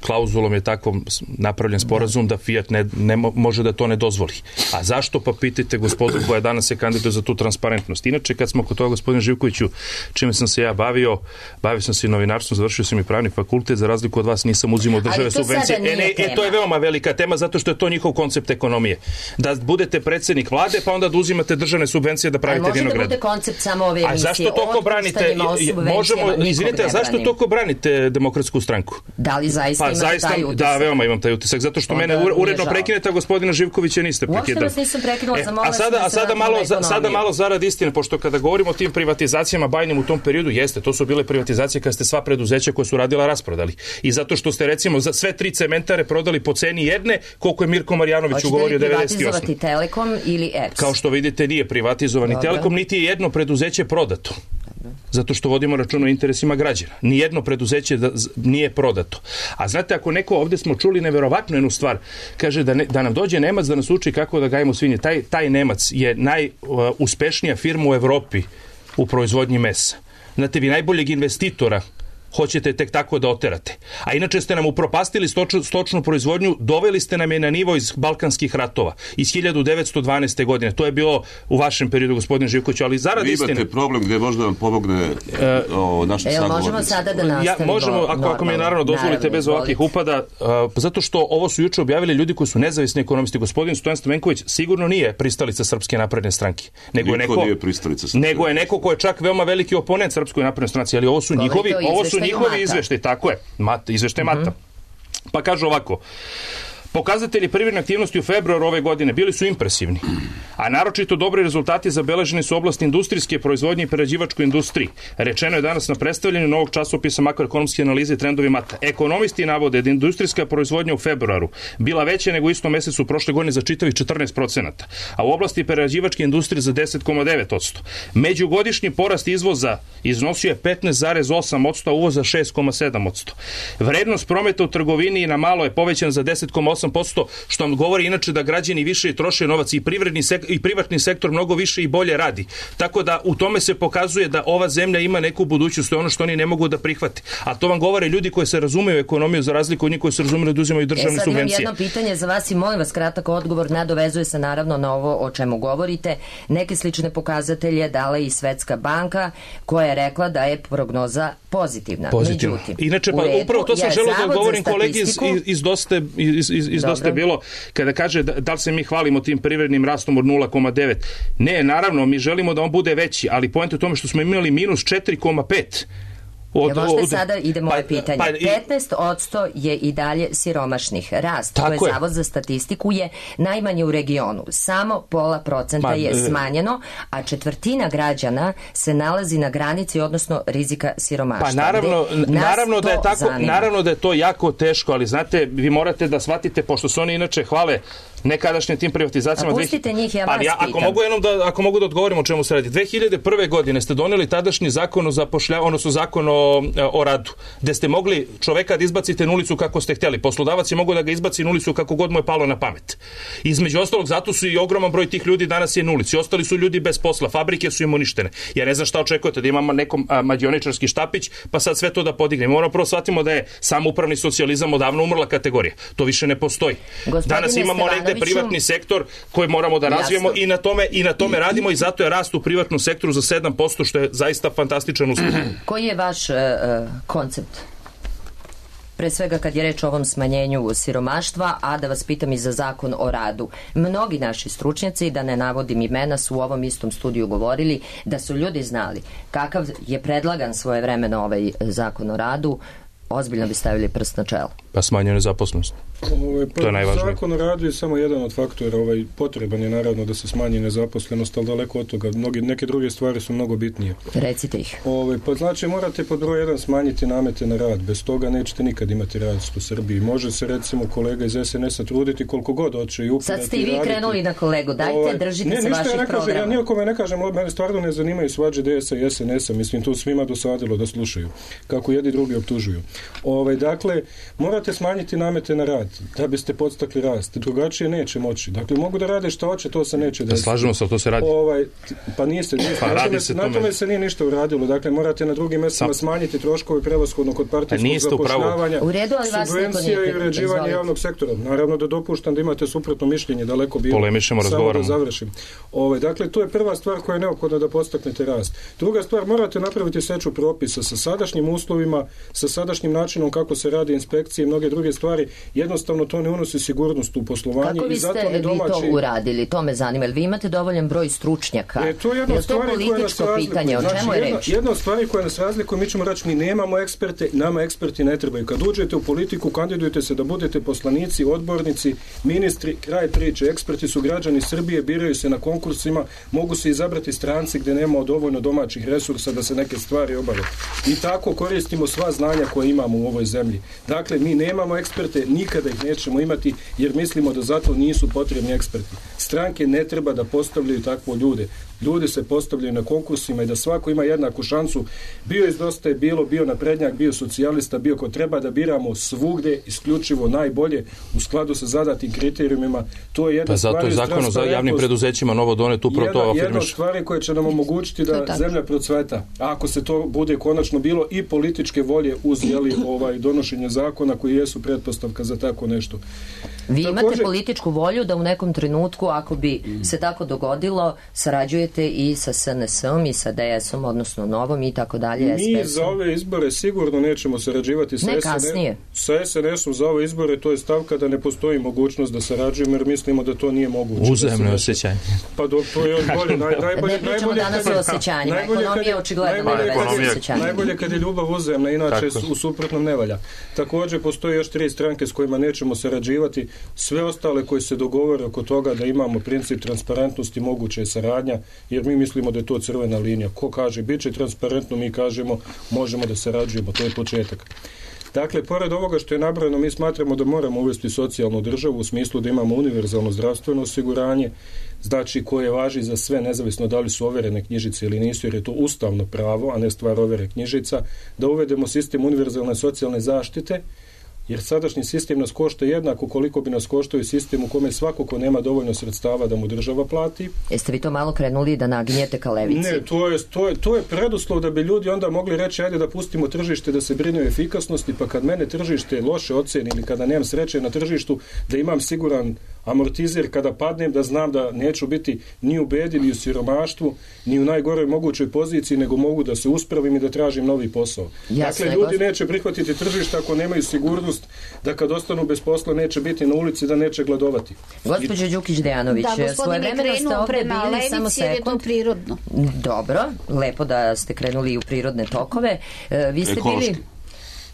klauzulom je tako napravljen sporazum da Fiat ne, ne može da to ne dozvoli. A zašto, pa pitajte gospodu koja danas se kandiduje za tu transparentnost. Inače, kad smo kod toga, gospodine Živkoviću, čime sam se ja bavio, bavio sam se i novinarstvom, završio sam i pravni fakultet, za razliku od vas nisam uzimao države subvencije. E, ne, e, to je veoma velika tema, zato što je to njihov koncept ekonomije. Da budete predsjednik vlade, pa onda da uzimate državne subvencije da pravite vinograd. Može da bude koncept samo ove emisije. A zašto toko branite, možemo, izvinite, a zašto toko branite Demokratsku stranku? Da li zaista pa, imaš zaista, taj utisak? Da, veoma imam taj utisak, zato što onda mene uredno prekinete, a gospodina Živkovića niste prekidali. Nisam prekinula, e, a sada, a sada malo, za, sada malo zarad istine, pošto kada govorimo o tim privatizacijama bajnim u tom periodu, jeste, to su bile privatizacije kada ste sva preduzeća koja su radila rasprodali. I zato što ste recimo za sve tri cementare prodali po ceni jedne, koliko je Mirko Marjanović ugovorio devedeset osme. Hoćete li privatizovati Telekom ili E P S? Kao što vidite, nije privatizovani Telekom, niti je jedno preduzeće prodato. zato što vodimo račun o interesima građana. Nijedno preduzeće da, nije prodato. A znate, ako neko, ovdje smo čuli neverovatnu jednu stvar, kaže da, ne, da nam dođe Nemac da nas uči kako da gajimo svinje. Taj, taj Nemac je najuspešnija firma u Evropi u proizvodnji mesa. Znate, vi najboljeg investitora hoćete tek tako da oterate. A inače ste nam upropastili stoč, stočnu proizvodnju, doveli ste nam je na nivo iz Balkanskih ratova, iz hiljadu devetsto dvanaeste. godine. To je bilo u vašem periodu, gospodin Živković, ali zarad istine... Vi imate problem gdje možda vam pomogne e, o, naše sagovornice. Možemo sada da nastavimo. Ja, možemo, ako, normalno, ako mi je naravno dozvolite, naravno, bez ovakvih upada, a, zato što ovo su juče objavili ljudi koji su nezavisni ekonomisti. Gospodin Stojan Stamenković sigurno nije pristalica Srpske napredne stranke. Nego je neko, nije pristalica Srpske. Nego je neko ko je čak veoma veliki oponent Srpskoj naprednoj stranci, ali ovo su Koliko njihovi, ovo su njihovi izveštaji, tako je, Mata, izveštaj Mata. Mm-hmm. Pa kaže ovako, pokazatelji privredne aktivnosti u februaru ove godine bili su impresivni, a naročito dobri rezultati zabeleženi su u oblasti industrijske proizvodnje i prerađivačkoj industriji. Rečeno je danas na predstavljanju novog časopisa makroekonomske analize i trendovi Mata. Ekonomisti navode da industrijska proizvodnja u februaru bila veća nego u istom mesecu prošle godine za čitavih četrnaest procenata, a u oblasti prerađivačke industrije za deset zarez devet posto. Međugodišnji porast izvoza iznosio je petnaest zarez osam posto, a uvoza šest zarez sedam posto. Vrednost prometa u trgovini i na malo je povećan za deset zarez osam posto, što vam govori inače da građani više troše novac i privredni sek- i privatni sektor mnogo više i bolje radi. Tako da u tome se pokazuje da ova zemlja ima neku budućnost, to je ono što oni ne mogu da prihvate. A to vam govore ljudi koji se razumeju u ekonomiju, za razliku od njih koji se razumiju da uzimaju državne e, subvencije. Sad imam jedno pitanje za vas i molim vas kratak odgovor, nadovezuje se naravno na ovo o čemu govorite. Neke slične pokazatelje dala i Svetska banka koja je rekla da je prognoza pozitivna. Pozitivno. Međutim, inače, pa upravo to sam želeo da govorim kolegi iz, iz, dosta, iz, iz, iz dosta je bilo, kada kaže da, da li se mi hvalimo tim privrednim rastom od nula zarez devet. Ne, naravno, mi želimo da on bude veći, ali poenta je u tome što smo imali minus četiri zarez pet. Od, ja, možete sada ide moje pa, pitanje. Pa, petnaest posto je i dalje siromašnih. Rast, to je, je Zavod za statistiku, je najmanje u regionu. Samo pola procenta pa, je smanjeno, a četvrtina građana se nalazi na granici, odnosno rizika siromaštva. Pa naravno, naravno da je tako, zanima. Naravno da je to jako teško, ali znate, vi morate da shvatite, pošto se oni inače hvale nekadašnjim tim privatizacijama. A pustite dve... njih, ja vas ali ja, ako mogu jednom da, ako mogu da odgovorim o čemu se radi. dve hiljade prve. godine ste doneli tadašnji zakon o zapošljavanju, odnosno zakon o, o radu, gde ste mogli čoveka da izbacite na ulicu kako ste htjeli. Poslodavac je mogao da ga izbaci na ulicu kako god mu je palo na pamet. Između ostalog, zato su i ogroman broj tih ljudi danas je na ulici. Ostali su ljudi bez posla, fabrike su im uništene. Ja ne znam šta očekujete, da imamo nekom a, mađioničarski štapić, pa sad sve to da podignemo. Moramo prvo shvatimo da je samoupravni socijalizam odavno umrla kategorija. To više ne postoji. Gospodine danas imamo negde privatni sektor koji moramo da razvijemo i na tome i na tome radimo i zato je rast u privatnom sektoru za sedam posto, što je zaista fantastičan uspeh. Koji je vaš uh, koncept? Pre svega kad je reč o ovom smanjenju siromaštva, a da vas pitam i za zakon o radu. Mnogi naši stručnjaci, da ne navodim imena, su u ovom istom studiju govorili da su ljudi znali kakav je predlagan svojevremeno ovaj zakon o radu, ozbiljno bi stavili prst na čelo. Pa smanjuje nezaposlenost. Ovaj, to je najvažnije. Zakon o radu je samo jedan od faktora. Ovaj, potreban je naravno da se smanji nezaposlenost, ali daleko od toga. Mnogi, neke druge stvari su mnogo bitnije. Recite ih. Ovaj, pa znači morate pod broj jedan smanjiti namete na rad. Bez toga nećete nikad imati rast u Srbiji. Može se recimo kolega iz es en es a truditi koliko god hoće i upirati. Sad ste i vi raditi. Krenuli na kolegu. Dajte, ovaj, držite ne, se vaših ja programa. Ja nijekome ne kažem, mene stvarno ne zanimaju svađe de es a i es en es a. Mislim, to svima dosadilo da slušaju. Kako jedni drugi optužuju. Ovaj, dakle, morate smanjiti namete na rad da biste podstakli rast. Drugačije neće moći. Dakle, mogu da rade što hoće, to se neće desiti. Da slažemo se, to se radi. Ovaj, pa nije se, nije, pa na, tome, se na tome se nije ništa uradilo. Dakle, morate na drugim mjestima smanjiti troškove prevashodno kod partijskog zapošljavanja, subvencija i uređivanja javnog sektora. Naravno da dopuštam da imate suprotno mišljenje, daleko bilo. Polemišemo, razgovaramo. Da završim. Ovaj, dakle, to je prva stvar koja je neophodna da podstaknete rast. Druga stvar, morate napraviti seču propisa sa sadašnjim uslovima, sa sadašnjim načinom kako se radi inspekcije i mnoge druge stvari. Jednostavno to ne unosi sigurnost u poslovanje. Kako i zato ne domaći... vi to uradili? To me zanima. Vi imate dovoljan broj stručnjaka? E, to je jedna je to političko pitanje? O znači, čemu je jedna, reč? Jedna od stvari koja nas razlikuje, mi ćemo reći, mi nemamo eksperte, nama eksperti ne trebaju. Kad uđete u politiku, kandidujete se da budete poslanici, odbornici, ministri, kraj priče. Eksperti su građani Srbije, biraju se na konkursima, mogu se izabrati stranci gdje nema dovoljno domaćih resursa da se neke stvari obave. I tako koristimo sva znanja koje imamo u ovoj zemlji. Dakle, mi nemamo eksperte, nikad nikada ih nećemo imati, jer mislimo da zato nisu potrebni eksperti. Stranke ne treba da postavljaju takvo ljude. Ljudi se postavljaju na konkursima i da svako ima jednaku šansu. Bio iz Dosta je bilo, bio naprednjak, bio socijalista, bio ko treba da biramo svugde isključivo najbolje u skladu sa zadatim kriterijumima. To je jedna pa zato stvar. je zakon za javnim preduzećima novo donet upravo to afirmiš. Jedna od stvari koje će nam omogućiti da zemlja procveta. A ako se to bude konačno bilo i političke volje uz jeli, ovaj, donošenje zakona koji jesu pretpostavka za tako nešto. Vi imate Također, političku volju da u nekom trenutku, ako bi se tako dogodilo, sarađujete i sa S N S-om i sa D S-om, odnosno Novom i tako dalje. Mi za ove izbore sigurno nećemo sarađivati sa, ne, S N S, sa S N S-om za ove izbore. To je stavka da ne postoji mogućnost da sarađujemo, jer mislimo da to nije moguće. Uzajemno da osjećanje. Pa do, to je još bolje. Naj, najbolje, ne pričamo danas o osjećanjima. Ekonomija očigledno nema veze s osjećanjima. Najbolje kad je ljubav uzajemna, inače tako. U suprotnom ne valja. Također postoje još tri stranke s kojima nećemo sarađivati. Sve ostale koji se dogovore oko toga da imamo princip transparentnosti, moguće je saradnja, jer mi mislimo da je to crvena linija. Ko kaže bit će transparentno, mi kažemo možemo da sarađujemo, to je početak. Dakle, pored ovoga što je nabrojeno, mi smatramo da moramo uvesti socijalnu državu u smislu da imamo univerzalno zdravstveno osiguranje, znači koje važi za sve, nezavisno da li su overene knjižice ili nisu, jer je to ustavno pravo, a ne stvar overe knjižica, da uvedemo sistem univerzalne socijalne zaštite, jer sadašnji sistem nas košta jednako koliko bi nas koštao i sistem u kome svako ko nema dovoljno sredstava da mu država plati. Jeste vi to malo krenuli da naginjete ka levici? Ne, to je, to je, to je preduslov da bi ljudi onda mogli reći ajde da pustimo tržište da se brine o efikasnosti, pa kad mene tržište loše oceni ili kada nemam sreće na tržištu, da imam siguran amortizer kada padnem, da znam da neću biti ni u bedi, ni u siromaštvu, ni u najgoroj mogućoj poziciji, nego mogu da se uspravim i da tražim novi posao. Jasne, dakle, ljudi neće prihvatiti tržište ako nemaju sigurnost da kad ostanu bez posla neće biti na ulici, da neće gladovati. Gospođa Đukić-Dejanović, da, svojevremeno ste ovdje bili, samo sekund. Je to prirodno. Dobro, lepo da ste krenuli u prirodne tokove. Vi ste ekološki. Bili...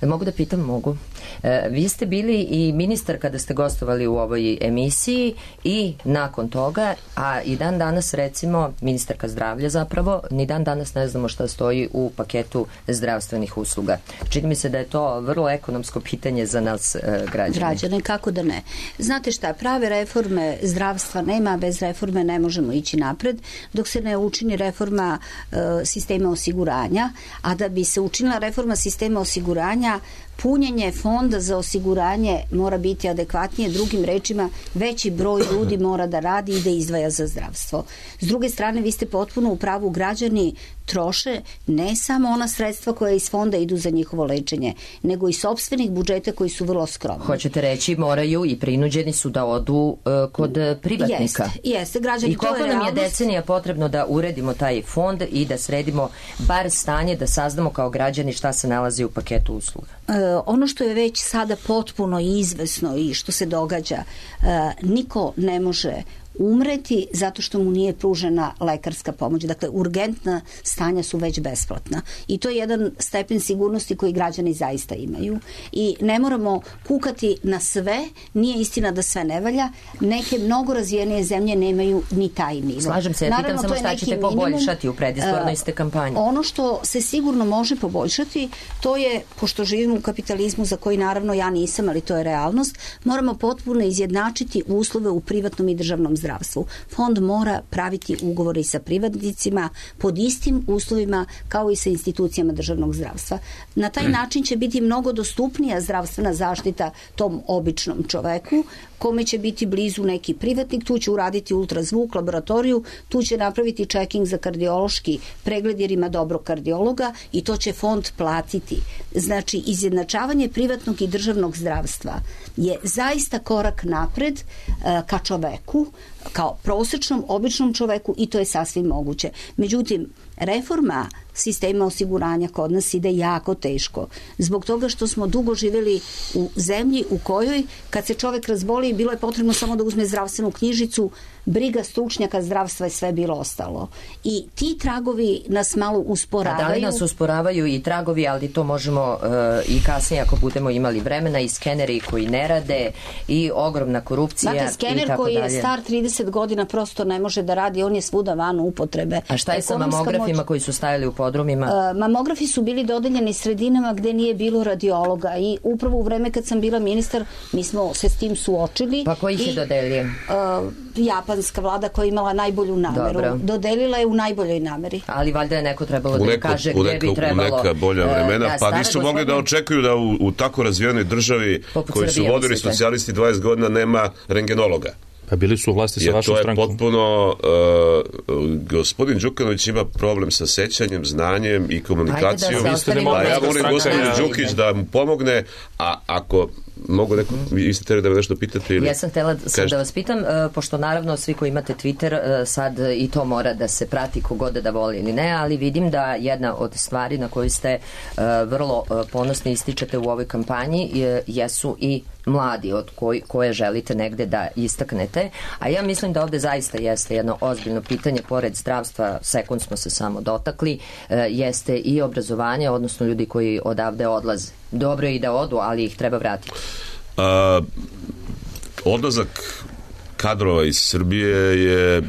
Mogu da pitam? Mogu. E, vi ste bili i ministar kada ste gostovali u ovoj emisiji i nakon toga, a i dan danas recimo, ministarka zdravlja zapravo, ni dan danas ne znamo šta stoji u paketu zdravstvenih usluga. Čini mi se da je to vrlo ekonomsko pitanje za nas e, građane. Građane, kako da ne. Znate šta, prave reforme zdravstva nema, bez reforme ne možemo ići napred, dok se ne učini reforma e, sistema osiguranja, a da bi se učinila reforma sistema osiguranja, punjenje fonda za osiguranje mora biti adekvatnije, drugim rečima veći broj ljudi mora da radi i da izdvaja za zdravstvo. S druge strane, vi ste potpuno u pravu, građani troše ne samo ona sredstva koja iz fonda idu za njihovo lečenje, nego i sopstvenih budžeta koji su vrlo skromni. Hoćete reći, moraju i prinuđeni su da odu uh, kod privatnika. Jeste, jeste, građani, i koliko to je nam je realnost. decenija potrebno da uredimo taj fond i da sredimo bar stanje, da saznamo kao građani šta se nalazi u paketu usluga? Uh, ono što je već sada potpuno izvesno i što se događa, uh, niko ne može umreti zato što mu nije pružena lekarska pomoć. Dakle, urgentna stanja su već besplatna. I to je jedan stepen sigurnosti koji građani zaista imaju. I ne moramo kukati na sve. Nije istina da sve ne valja. Neke mnogo razvijenije zemlje nemaju ni taj nivo. Slažem se, ja pitam samo šta ćete poboljšati u predizbornoj ste kampanji. Ono što se sigurno može poboljšati, to je, pošto živimo u kapitalizmu za koji naravno ja nisam, ali to je realnost, moramo potpuno izjednačiti uslove u privatnom i državnom zdravstvu. Fond mora praviti ugovore sa privatnicima pod istim uslovima kao i sa institucijama državnog zdravstva. Na taj način će biti mnogo dostupnija zdravstvena zaštita tom običnom čoveku, kome će biti blizu neki privatnik, tu će uraditi ultrazvuk, laboratoriju, tu će napraviti checking za kardiološki pregled jer ima dobrog kardiologa i to će fond platiti. Znači, izjednačavanje privatnog i državnog zdravstva je zaista korak napred uh, ka čoveku, kao prosječnom, običnom čoveku i to je sasvim moguće. Međutim, reforma sistema osiguranja kod nas ide jako teško. Zbog toga što smo dugo živjeli u zemlji u kojoj kad se čovjek razboli bilo je potrebno samo da uzme zdravstvenu knjižicu, briga stručnjaka zdravstva je sve bilo ostalo. I ti tragovi nas malo usporavaju. A da li nas usporavaju i tragovi, ali to možemo uh, i kasnije ako budemo imali vremena, i skeneri koji ne rade i ogromna korupcija. Znate, skener koji je star trideset godina prosto ne može da radi, on je svuda van upotrebe. A šta je sa mamografima moć... koji su stajali u podrumima? Mamografi su bili dodeljeni sredinama gde nije bilo radiologa i upravo u vreme kad sam bila ministar mi smo se s tim suočili. Pa ko ih je dodelio? Uh, japanska vlada koja je imala najbolju nameru. Dobro. Dodelila je u najboljoj nameri. Ali valjda je neko trebalo da neko, kaže gde bi trebalo... U neka bolja vremena, da, pa nisu mogli da očekuju da u, u tako razvijenoj državi koji su vodili socijalisti dvadeset godina nema rengenologa. Pa bili su u vlasti sa vašom strankom. To je potpuno... Uh, gospodin Đukanović ima problem sa sećanjem, znanjem i komunikacijom. A ja volim gospodin Đukić da mu pomogne, a ako... Mogu neko, vi ste teri da me nešto pitate ili... Ja sam htjela sam da vas pitam, pošto naravno svi koji imate Twitter, sad i to mora da se prati kogod da voli ili ne, ali vidim da jedna od stvari na koju ste vrlo ponosni ističete u ovoj kampanji jesu i mladi od koj, koje želite negde da istaknete, a ja mislim da ovde zaista jeste jedno ozbiljno pitanje, pored zdravstva, sekund smo se samo dotakli, jeste i obrazovanje, odnosno ljudi koji odavde odlaze. Dobro je i da odu, ali ih treba vratiti. A, odlazak kadrova iz Srbije je,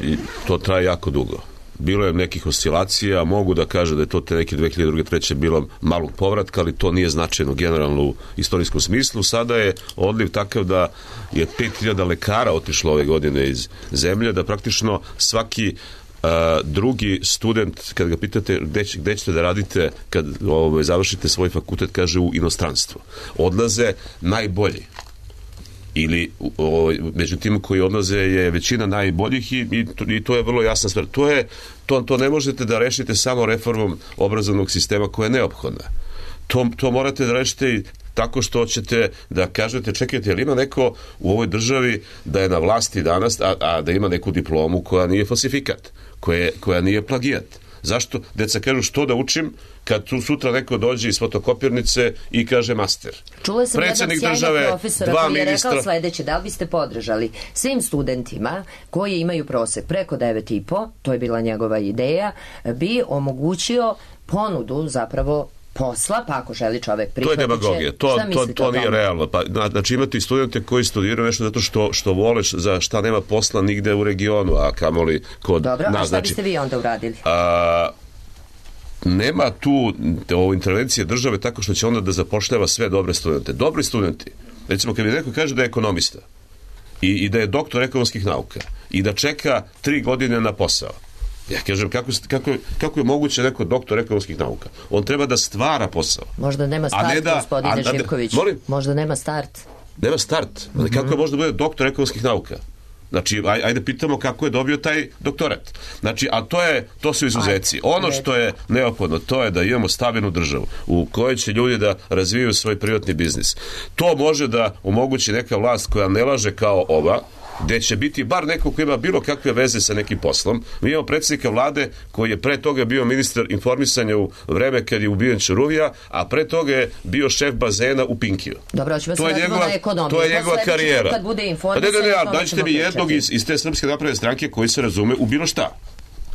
to traje jako dugo. Bilo je nekih oscilacija, mogu da kažem da je to te neke dve hiljade druge treće bilo malog povratka, ali to nije značajno generalno u istorijskom smislu. Sada je odliv takav da je pet hiljada lekara otišlo ove godine iz zemlje, da praktično svaki Uh, drugi student, kad ga pitate gde, će, gde ćete da radite kad ovaj, završite svoj fakultet, kaže u inostranstvo. Odlaze najbolji. Ili ovaj, među tim koji odlaze je većina najboljih i, i, to, i to je vrlo jasna stvar. To, je, to, to ne možete da rešite samo reformom obrazovnog sistema koja je neophodna. To, to morate da rešite i tako što ćete da kažete, čekajte, je li ima neko u ovoj državi da je na vlasti danas, a, a da ima neku diplomu koja nije falsifikat, koja, koja nije plagijat? Zašto? Deca kažu što da učim kad tu sutra neko dođe iz fotokopirnice i kaže master. Čula sam jednog sjajnog profesora koji je ministra... rekao sledeće, da li biste podržali svim studentima koji imaju prosek preko devet i po, to je bila njegova ideja, bi omogućio ponudu zapravo posla, pa ako želi čovek prihvatit će... To je demagogija, to, to, to, to nije realno. Pa, znači imate i studente koji studiraju nešto zato što, što vole, za šta nema posla nigde u regionu, a kamoli kod nas. Dobro, a šta znači, biste vi onda uradili? A, nema tu o, intervencije države tako što će onda da zapošljava sve dobre studente. Dobri studenti, recimo kad mi neko kaže da je ekonomista i, i da je doktor ekonomskih nauka i da čeka tri godine na posao, ja kažem, kako, kako, kako je moguće neko doktor ekonomskih nauka? On treba da stvara posao. Možda nema start, da, gospodine Živković. Molim? Možda nema start. Nema start. Mm-hmm. Kako može da bude doktor ekonomskih nauka? Znači, aj, ajde pitamo kako je dobio taj doktorat. Znači, a to je, to su izuzeci. Ono što je neophodno, to je da imamo stabilnu državu u kojoj će ljudi da razvijaju svoj privatni biznis. To može da omogući neka vlast koja ne laže kao ova, gde će biti bar neko koji ima bilo kakve veze sa nekim poslom. Mi imamo predsjednika vlade koji je pre toga bio ministar informisanja u vreme kad je ubijen Čuruvija, a pre toga je bio šef bazena u Pinkiju. Dobro, ćemo se vratiti na ekonomiju. To je njegova karijera. Kad bude informisanje, pa ne, ne, ne, daćete mi jednog iz, iz te Srpske napredne stranke koji se razume u bilo šta.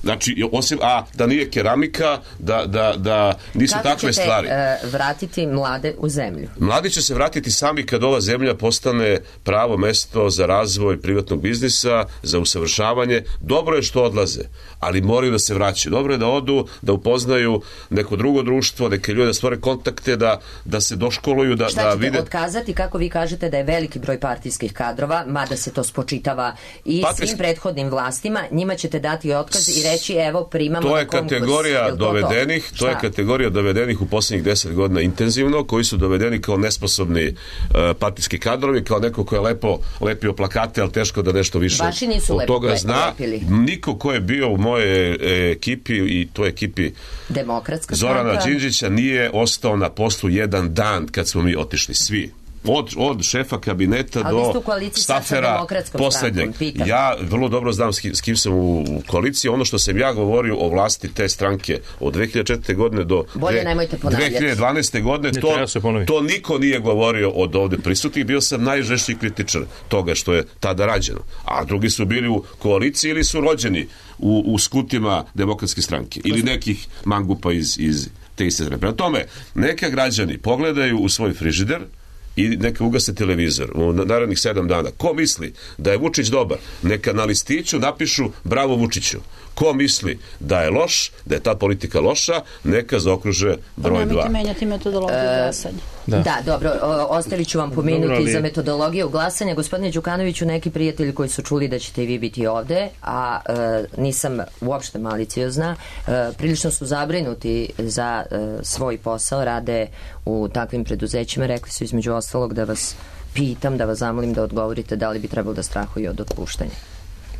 Znači, osim, a da nije keramika, da, da, da nisu kako takve stvari. Kako ćete uh, vratiti mlade u zemlju? Mladi će se vratiti sami kad ova zemlja postane pravo mesto za razvoj privatnog biznisa, za usavršavanje. Dobro je što odlaze, ali moraju da se vraćaju. Dobro je da odu, da upoznaju neko drugo društvo, neke ljude da stvore kontakte, da, da se doškoluju, da, šta da ćete vide... otkazati, kako vi kažete da je veliki broj partijskih kadrova, mada se to spočitava i Partijski... svim prethodnim vlastima, njima ćete dati otkaz i reći evo primamo to je na konkurs. Kategorija dovedenih, to, to je kategorija dovedenih u posljednjih deset godina intenzivno, koji su dovedeni kao nesposobni uh, partijski kadrovi, kao neko ko je lepo lepio plakate, ali teško da nešto više od toga lepo, zna. lepili. Niko ko je bio u moje e, ekipi i toj ekipi Demokratska Zorana stranka Đinđića nije ostao na poslu jedan dan kad smo mi otišli svi. Od, od šefa kabineta ali do stafera poslednjeg. Ja vrlo dobro znam s kim, s kim sam u koaliciji. Ono što sam ja govorio o vlasti te stranke od dve hiljade četvrte. godine do dve hiljade dvanaeste. godine, to, to niko nije govorio od ovde prisutnih. Bio sam najžešći kritičar toga što je tada rađeno. A drugi su bili u koaliciji ili su rođeni u, u skutima Demokratske stranke. Ili nekih mangupa iz, iz te iste strane. Prema tome, neka građani pogledaju u svoj frižider i neka ugase televizor u narednih sedam dana. Ko misli da je Vučić dobar, neka na listiću napišu bravo Vučiću. Ko misli da je loš, da je ta politika loša, neka zaokruže broj dva. Pa menjati metodologiju E, glasanja. Da. da, dobro, o, ostavit ću vam pomenuti Dobro, ali- za metodologiju glasanja. Gospodine Đukanoviću, neki prijatelji koji su čuli da ćete i vi biti ovde, a e, nisam uopšte maliciozna, e, prilično su zabrinuti za e, svoj posao, rade u takvim preduzećima, rekli su između ostalog da vas pitam, da vas zamolim da odgovorite da li bi trebalo da strahuju od otpuštanja.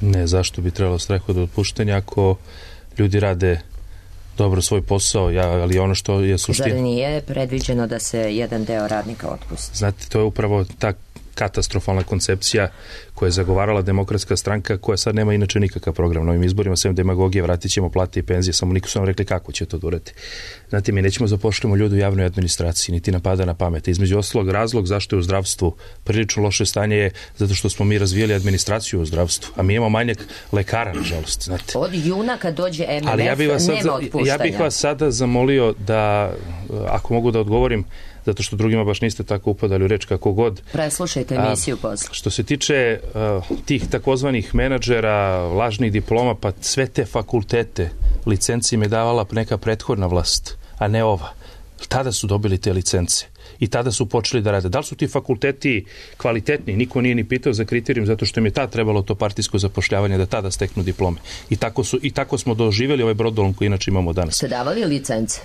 Ne, zašto bi trebalo strahu od otpuštanja ako ljudi rade dobro svoj posao, ja, ali ono što je suština... Zar nije predviđeno da se jedan deo radnika otpusti? Znate, to je upravo ta katastrofalna koncepcija koja je zagovarala Demokratska stranka, koja sad nema inače nikakav program na ovim izborima, sem demagogije, vratit ćemo plate i penzije, samo niko su nam rekli kako će to durati. Znate, mi nećemo zapošljamo ljudi u javnoj administraciji, niti nam pada na pamet. Između ostalog, razlog zašto je u zdravstvu prilično loše stanje je zato što smo mi razvijeli administraciju u zdravstvu, a mi imamo manjak lekara, nažalost. Znate. Od juna kad dođe M M F Ali ja bih vas sad, nema otpuštanja. ja bih vas sada zamolio da, ako mogu da odgovorim, zato što drugima baš niste tako upadali u reč kako god. Preslušajte emisiju posle. Što se tiče uh, tih takozvanih menadžera, lažnih diploma, pa sve te fakultete, licenci im je davala neka prethodna vlast, a ne ova. Tada su dobili te licence i tada su počeli da rade. Da li su ti fakulteti kvalitetni? Niko nije ni pitao za kriterijum, zato što im je tada trebalo to partijsko zapošljavanje da tada steknu diplome. I tako, su, i tako smo doživjeli ovaj brodolom koji inače imamo danas. Ste davali licence?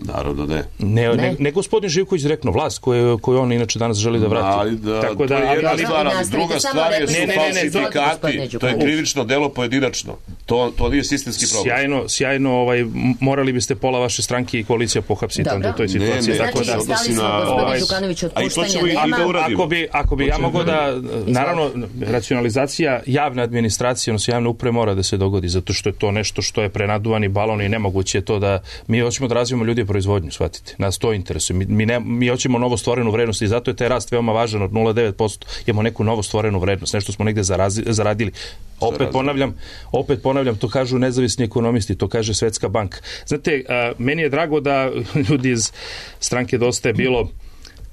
Naravno ne. Ne, Ne. ne, ne gospodin Živković direktno, vlast koju, koju on inače danas želi da vrati. Ali da, Tako to je jedna ali- stvar, ali nastavite, druga samo stvar je recite, su ne, ne, ne, ne, falsifikati, gospodine to je Đukanović. krivično delo pojedinačno. To, to nije sistemski problem. Sjajno, sjajno, ovaj, m- morali biste pola vaše stranke i koalicija pohapsiti Dobro. onda u toj Ne, situaciji. ne, Tako Znači, da, odnosi stali smo, na- gospodine ovaj- Đukanović, A i to otpuštanja ćemo i nema. da uradimo. ako bi, ako bi ja mogu da, naravno, racionalizacija javne administracije, odnosno javne uprave mora da se dogodi, zato što je to nešto što je prenaduvani balon i nemoguće je to da mi hoćemo da razvijemo ljudi proizvodnju, shvatite. Nas to interesuje. Mi, mi, ne, mi hoćemo novo stvorenu vrednost i zato je taj rast veoma važan od nula zarez devet posto. Imamo neku novo stvorenu vrednost, nešto smo negde zarazi, zaradili. Opet Zarazili. ponavljam, opet ponavljam, to kažu nezavisni ekonomisti, to kaže Svetska banka. Znate, a, meni je drago da ljudi iz stranke Dosta je bilo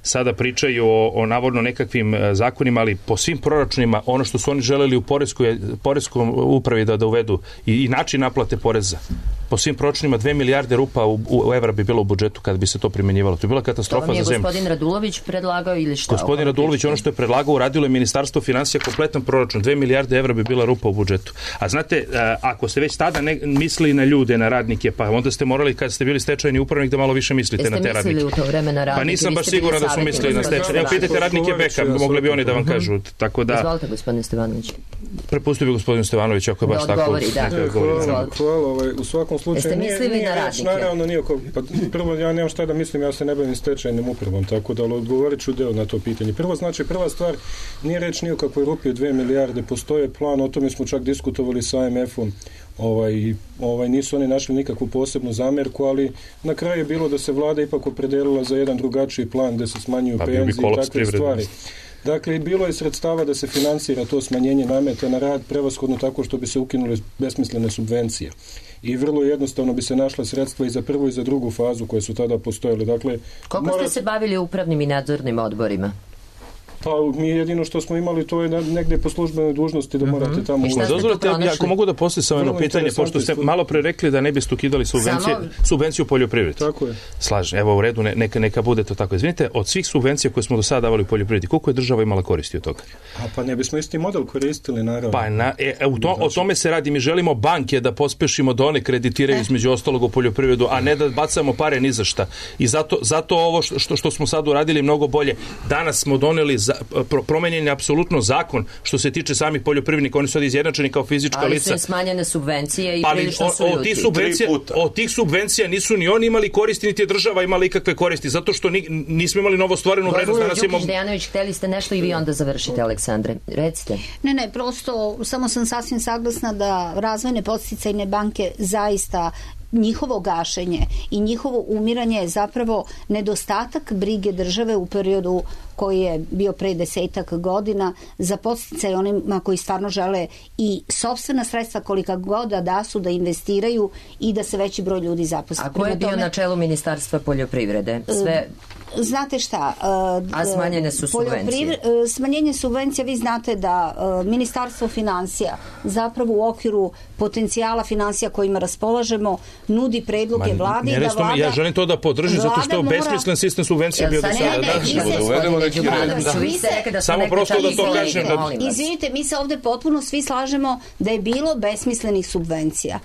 sada pričaju o, o navodno nekakvim e, zakonima, ali po svim proračunima ono što su oni želeli u poreskoj, poreskom upravi da, da uvedu i, i način naplate poreza. Po svim proračunima dve milijarde rupa u, u evra bi bilo u budžetu kad bi se to primjenjivalo. To je bila To katastrofa vam je za zemlju. gospodin Radulović predlagao ili šta? Gospodin Radulović, ono što je predlagao, uradilo je Ministarstvo finansija kompletan proračun. Dve milijarde evra bi bila rupa u budžetu. A znate, a, ako ste već tada ne, mislili na ljude, na radnike, pa onda ste morali, kad ste bili stečajni upravnik, da malo više mislite Jeste na te radnike. mislili u to vreme na radnike? Pa nisam Vi baš ste bili siguran da su savjetnik mislili na gospodina stečaj. Evo, pitajte Stevanovića. radnike Beka, mogli bi oni da vam kažu. Tako da, Izvolite, gospodine Stevanović. prepustio bi gospodinu Stevanoviću ako je baš Da tako. odgovori, da. neka E, odgovori. hvala, Izvolite. hvala, ovaj, u svakom slučaju Jeste nije, mislili nije na reč, radnike? naravno nije oko, pa prvo ja nemam šta da mislim, ja se ne bavim stečajnim upravom, tako da ali odgovorit ću deo na to pitanje. Prvo znači, prva stvar, nije reč ni o kakvoj rupi od dve milijarde, postoje plan, o tome smo čak diskutovali sa A M F-om, ovaj, ovaj, nisu oni našli nikakvu posebnu zamerku, ali na kraju je bilo da se vlada ipak opredelila za jedan drugačiji plan gde se smanjuju Pa bio bi penzije i kolaps takve privrede. stvari. Dakle, bilo je sredstava da se finansira to smanjenje nameta na rad, prevashodno tako što bi se ukinule besmislene subvencije. I vrlo jednostavno bi se našla sredstva i za prvu i za drugu fazu koje su tada postojale. Dakle, Koliko mora- ste se bavili upravnim i nadzornim odborima? Pa mi jedino što smo imali to je na- negde po službenoj dužnosti da morate tamo... I šta ste Dozvolite, tu pronašli? ako mogu da postavim samo jedno Vrlo pitanje, interesantna pošto ste stvar. malo pre rekli da ne biste ukidali subvencije, Samo- subvenciju u poljoprivredi. Tako je. Slažem, evo u redu, ne- neka, neka bude to tako. Izvinite, od svih subvencija koje smo do sada davali u poljoprivredi, koliko je država imala koristi od toga? A pa ne bismo isti model koristili, naravno. Pa na, e, e, u to, o tome se radi. Mi želimo banke da pospešimo da one kreditiraju između ostalog u poljoprivredu, a ne da bacamo pare ni za šta. I zato, zato ovo što, što, što smo sad uradili mnogo bolje. Danas smo doneli, za, pro, promenjen je apsolutno zakon što se tiče samih poljoprivrednika. Oni su sad izjednačeni kao fizička Ali su lica. im smanjene subvencije i Ali prilično su o- ljuti. od tih subvencija, Tri puta. od tih subvencija nisu ni oni imali koristi, niti je država imala ikakve koristi, zato što ni, nismo imali novo stvorenu vrednost. Gospodin Danas imamo... Đukić Dejanović, hteli ste nešto i vi onda završite, Aleksandre. Recite. Ne, ne, prosto samo sam sasvim saglasna da razvojne podsticajne banke zaista njihovo gašenje i njihovo umiranje je zapravo nedostatak brige države u periodu koji je bio pre desetak godina za podsticaj onima koji stvarno žele i sopstvena sredstva kolika god da su da investiraju i da se veći broj ljudi zaposli. A ko je Prema bio tome, na čelu Ministarstva poljoprivrede? Sve znate šta? A smanjene su subvencije? Smanjenje subvencija, vi znate da Ministarstvo financija zapravo u okviru potencijala financija kojima raspolažemo nudi predloge vladi da vlada... Ja želim to da podržim zato što mora... besmislen sistem subvencija bio do sada. Samo prosto da to kažem. Izvinite, mi se ovde potpuno svi slažemo da je bilo besmislenih subvencija.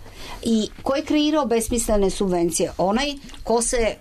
I ko je kreirao besmislene subvencije? Onaj ko se e,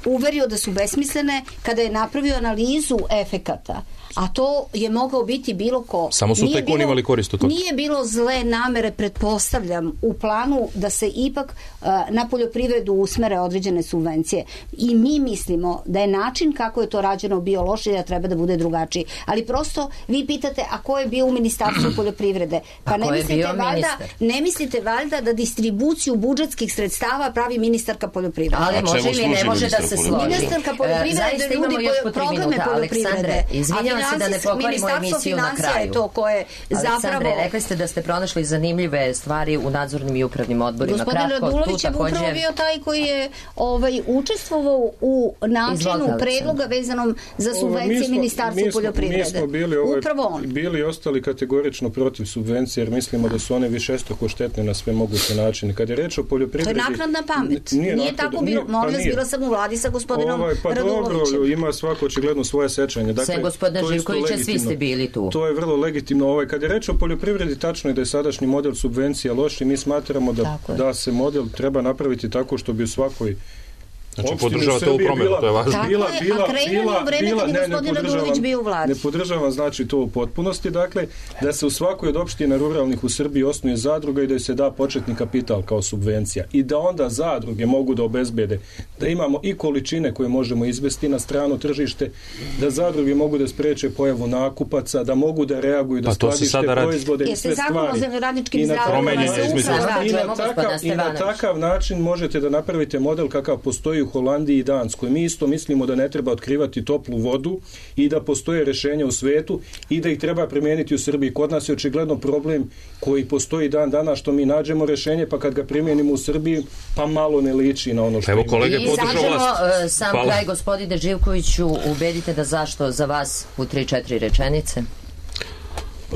uverio da su besmislene kada je napravio analizu efekata. A to je mogao biti bilo ko. Samo su tajkuni imali korist od toga. Nije bilo zle namere, pretpostavljam, u planu da se ipak uh, na poljoprivredu usmere određene subvencije. I mi mislimo da je način kako je to rađeno bio loš i da treba da bude drugačiji. Ali prosto vi pitate, a ko je bio u Ministarstvu poljoprivrede? Pa ne mislite, valjda, ne mislite valjda da distribuciju budžetskih sredstava pravi ministarka poljoprivrede? Ali može ili ne može da se složi. Ministarka poljoprivrede uh, ljudi programe poljoprivrede. Izvinjavam se da ne pokvarimo emisiju na kraju. To koje zapravo... Aleksandre, rekli ste da ste pronašli zanimljive stvari u nadzornim i upravnim odborima. Gospodin Radulović je takođe... upravo bio taj koji je ovaj, učestvovao u načinu predloga vezanom za subvencije Ministarstva poljoprivrede. Mi smo bili, ovaj, upravo on. bili ostali kategorično protiv subvencije jer mislimo da su one višestruko štetne na sve moguće načine. Kad je reč o poljoprivredi... To je naknadna pamet. Nije, nije tako bilo. Molim vas, bila sam u vladi sa gospodinom ovaj, pa Radulovićem. Dobro, ima svako očigledno svoje sećanje. Dakle, Živkovića, svi ste bili tu. To je vrlo legitimno. Ovaj, kad je reč o poljoprivredi, tačno je da je sadašnji model subvencija loš i mi smatramo da, da se model treba napraviti tako što bi u svakoj Znači, podržavate ovu promjenu, to je važno. Tako bila, je, bila, a kreirano u vreme kad je gospodin Radulović bio u vladi. Ne podržavam, znači, to u potpunosti, dakle, da se u svakoj od opština ruralnih u Srbiji osnuje zadruga i da se da početni kapital kao subvencija. I da onda zadruge mogu da obezbede, da imamo i količine koje možemo izvesti na strano tržište, da zadruge mogu da spreče pojavu nakupaca, da mogu da reaguju, da pa skladište proizvode i sve stvari. I na, takav, I na takav način možete da napravite model kakav postoji u Holandiji i Danskoj. Mi isto mislimo da ne treba otkrivati toplu vodu i da postoje rešenja u svetu i da ih treba primijeniti u Srbiji. Kod nas je očigledno problem koji postoji dan dana što mi nađemo rešenje pa kad ga primijenimo u Srbiji pa malo ne liči na ono što Evo kolege podržao vlast. Uh, sam Hvala. Kraj, gospodine Živkoviću, ubedite da zašto za vas u tri četiri rečenice?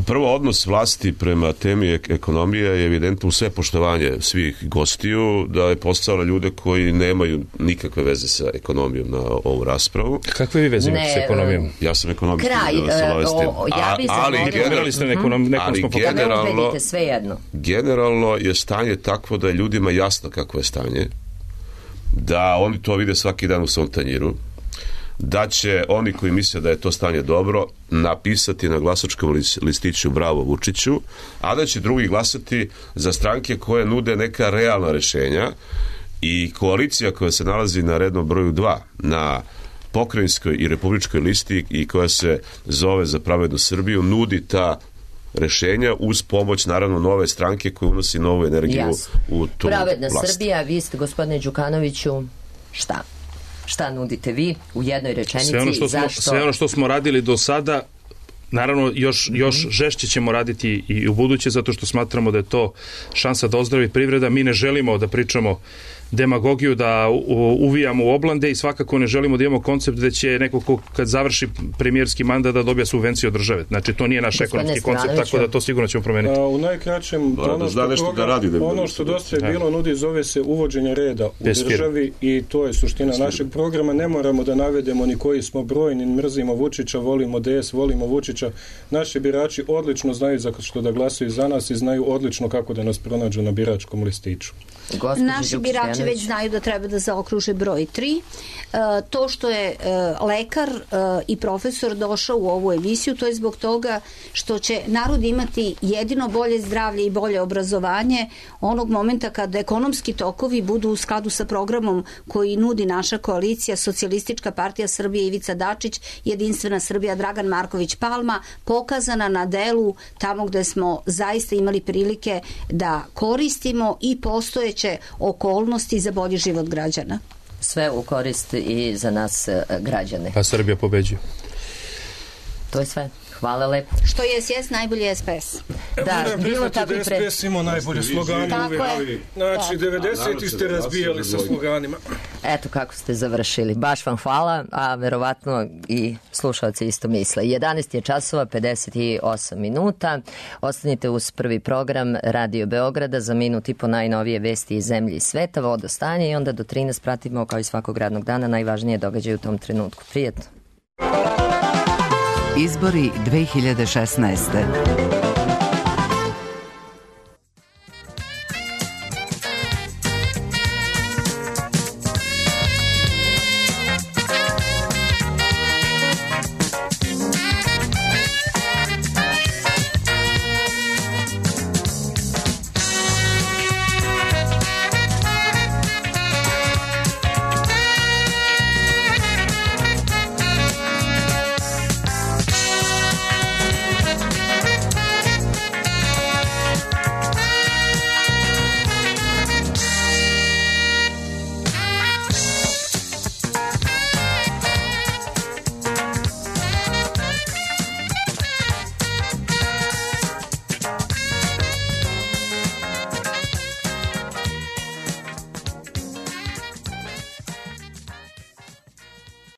Prvo, odnos vlasti prema temi ekonomije je evidentno u sve poštovanje svih gostiju, da je postao na ljude koji nemaju nikakve veze sa ekonomijom na ovu raspravu. Kakve vi veze imate sa ekonomijom? Ja sam ekonomist. Kraj, da o, ja bi ali generalno, ste nekom, nekom ali smo generalno, sve jedno. generalno je stanje takvo da je ljudima jasno kakvo je stanje, da oni to vide svaki dan u svom tanjiru, da će oni koji misle da je to stanje dobro napisati na glasačkom listiću bravo Vučiću, a da će drugi glasati za stranke koje nude neka realna rešenja i koalicija koja se nalazi na rednom broju dva na pokrajinskoj i republičkoj listi i koja se zove Za pravednu Srbiju nudi ta rešenja uz pomoć naravno nove stranke koja unosi novu energiju Jasno. u tu Pravedna vlast. Srbija, vi ste gospodine Đukanoviću šta? Šta nudite vi u jednoj rečenici? Sve ono što smo, zašto... sve ono što smo radili do sada, naravno još, još žešće ćemo raditi i u buduće, zato što smatramo da je to šansa da ozdravi privreda. Mi ne želimo da pričamo demagogiju, da uvijamo u oblande i svakako ne želimo da imamo koncept da će neko ko kad završi premijerski mandat da dobija subvenciju od države. Znači to nije naš Gospodine ekonomski koncept, tako da to sigurno ćemo promeniti. A, u najkraćem, Bara, ono što, da program, da radi, da ono što dosta je bilo nudi zove se uvođenje reda u Bez državi i to je suština Bez našeg programa. Ne moramo da navedemo ni koji smo broj, ni mrzimo Vučića, volimo D S, volimo Vučića. Naši birači odlično znaju za što da glasaju za nas i znaju odlično kako da nas pronađu na biračkom listiću. Gospođi Naši birači već znaju da treba da zaokruže broj tri. E, to što je e, lekar e, i profesor došao u ovu emisiju, to je zbog toga što će narod imati jedino bolje zdravlje i bolje obrazovanje onog momenta kada ekonomski tokovi budu u skladu sa programom koji nudi naša koalicija Socijalistička partija Srbije Ivica Dačić, Jedinstvena Srbija Dragan Marković Palma, pokazana na delu tamo gde smo zaista imali prilike da koristimo i postoje okolnosti za bolji život građana. Sve u korist i za nas građane. A Srbija pobeđuje. To je sve. Hvala lepo. Što je S S najbolji S P S. Da, moram bilo priznati tako da i pre... S P S imao najbolje slogane Tako uvijek. je. Znači, devedeseti ste razbijali sa sloganima. Eto kako ste završili. Baš vam hvala, a verovatno i slušalci isto misle. jedanaest je časova, pedeset osam minuta. Ostanite uz prvi program Radio Beograda za minut i po najnovije vesti iz zemlje i sveta, vodostanje i onda do trinaest pratimo kao i svakog radnog dana najvažnije događaje u tom trenutku. Prijetno. Izbori dve hiljade šesnaeste.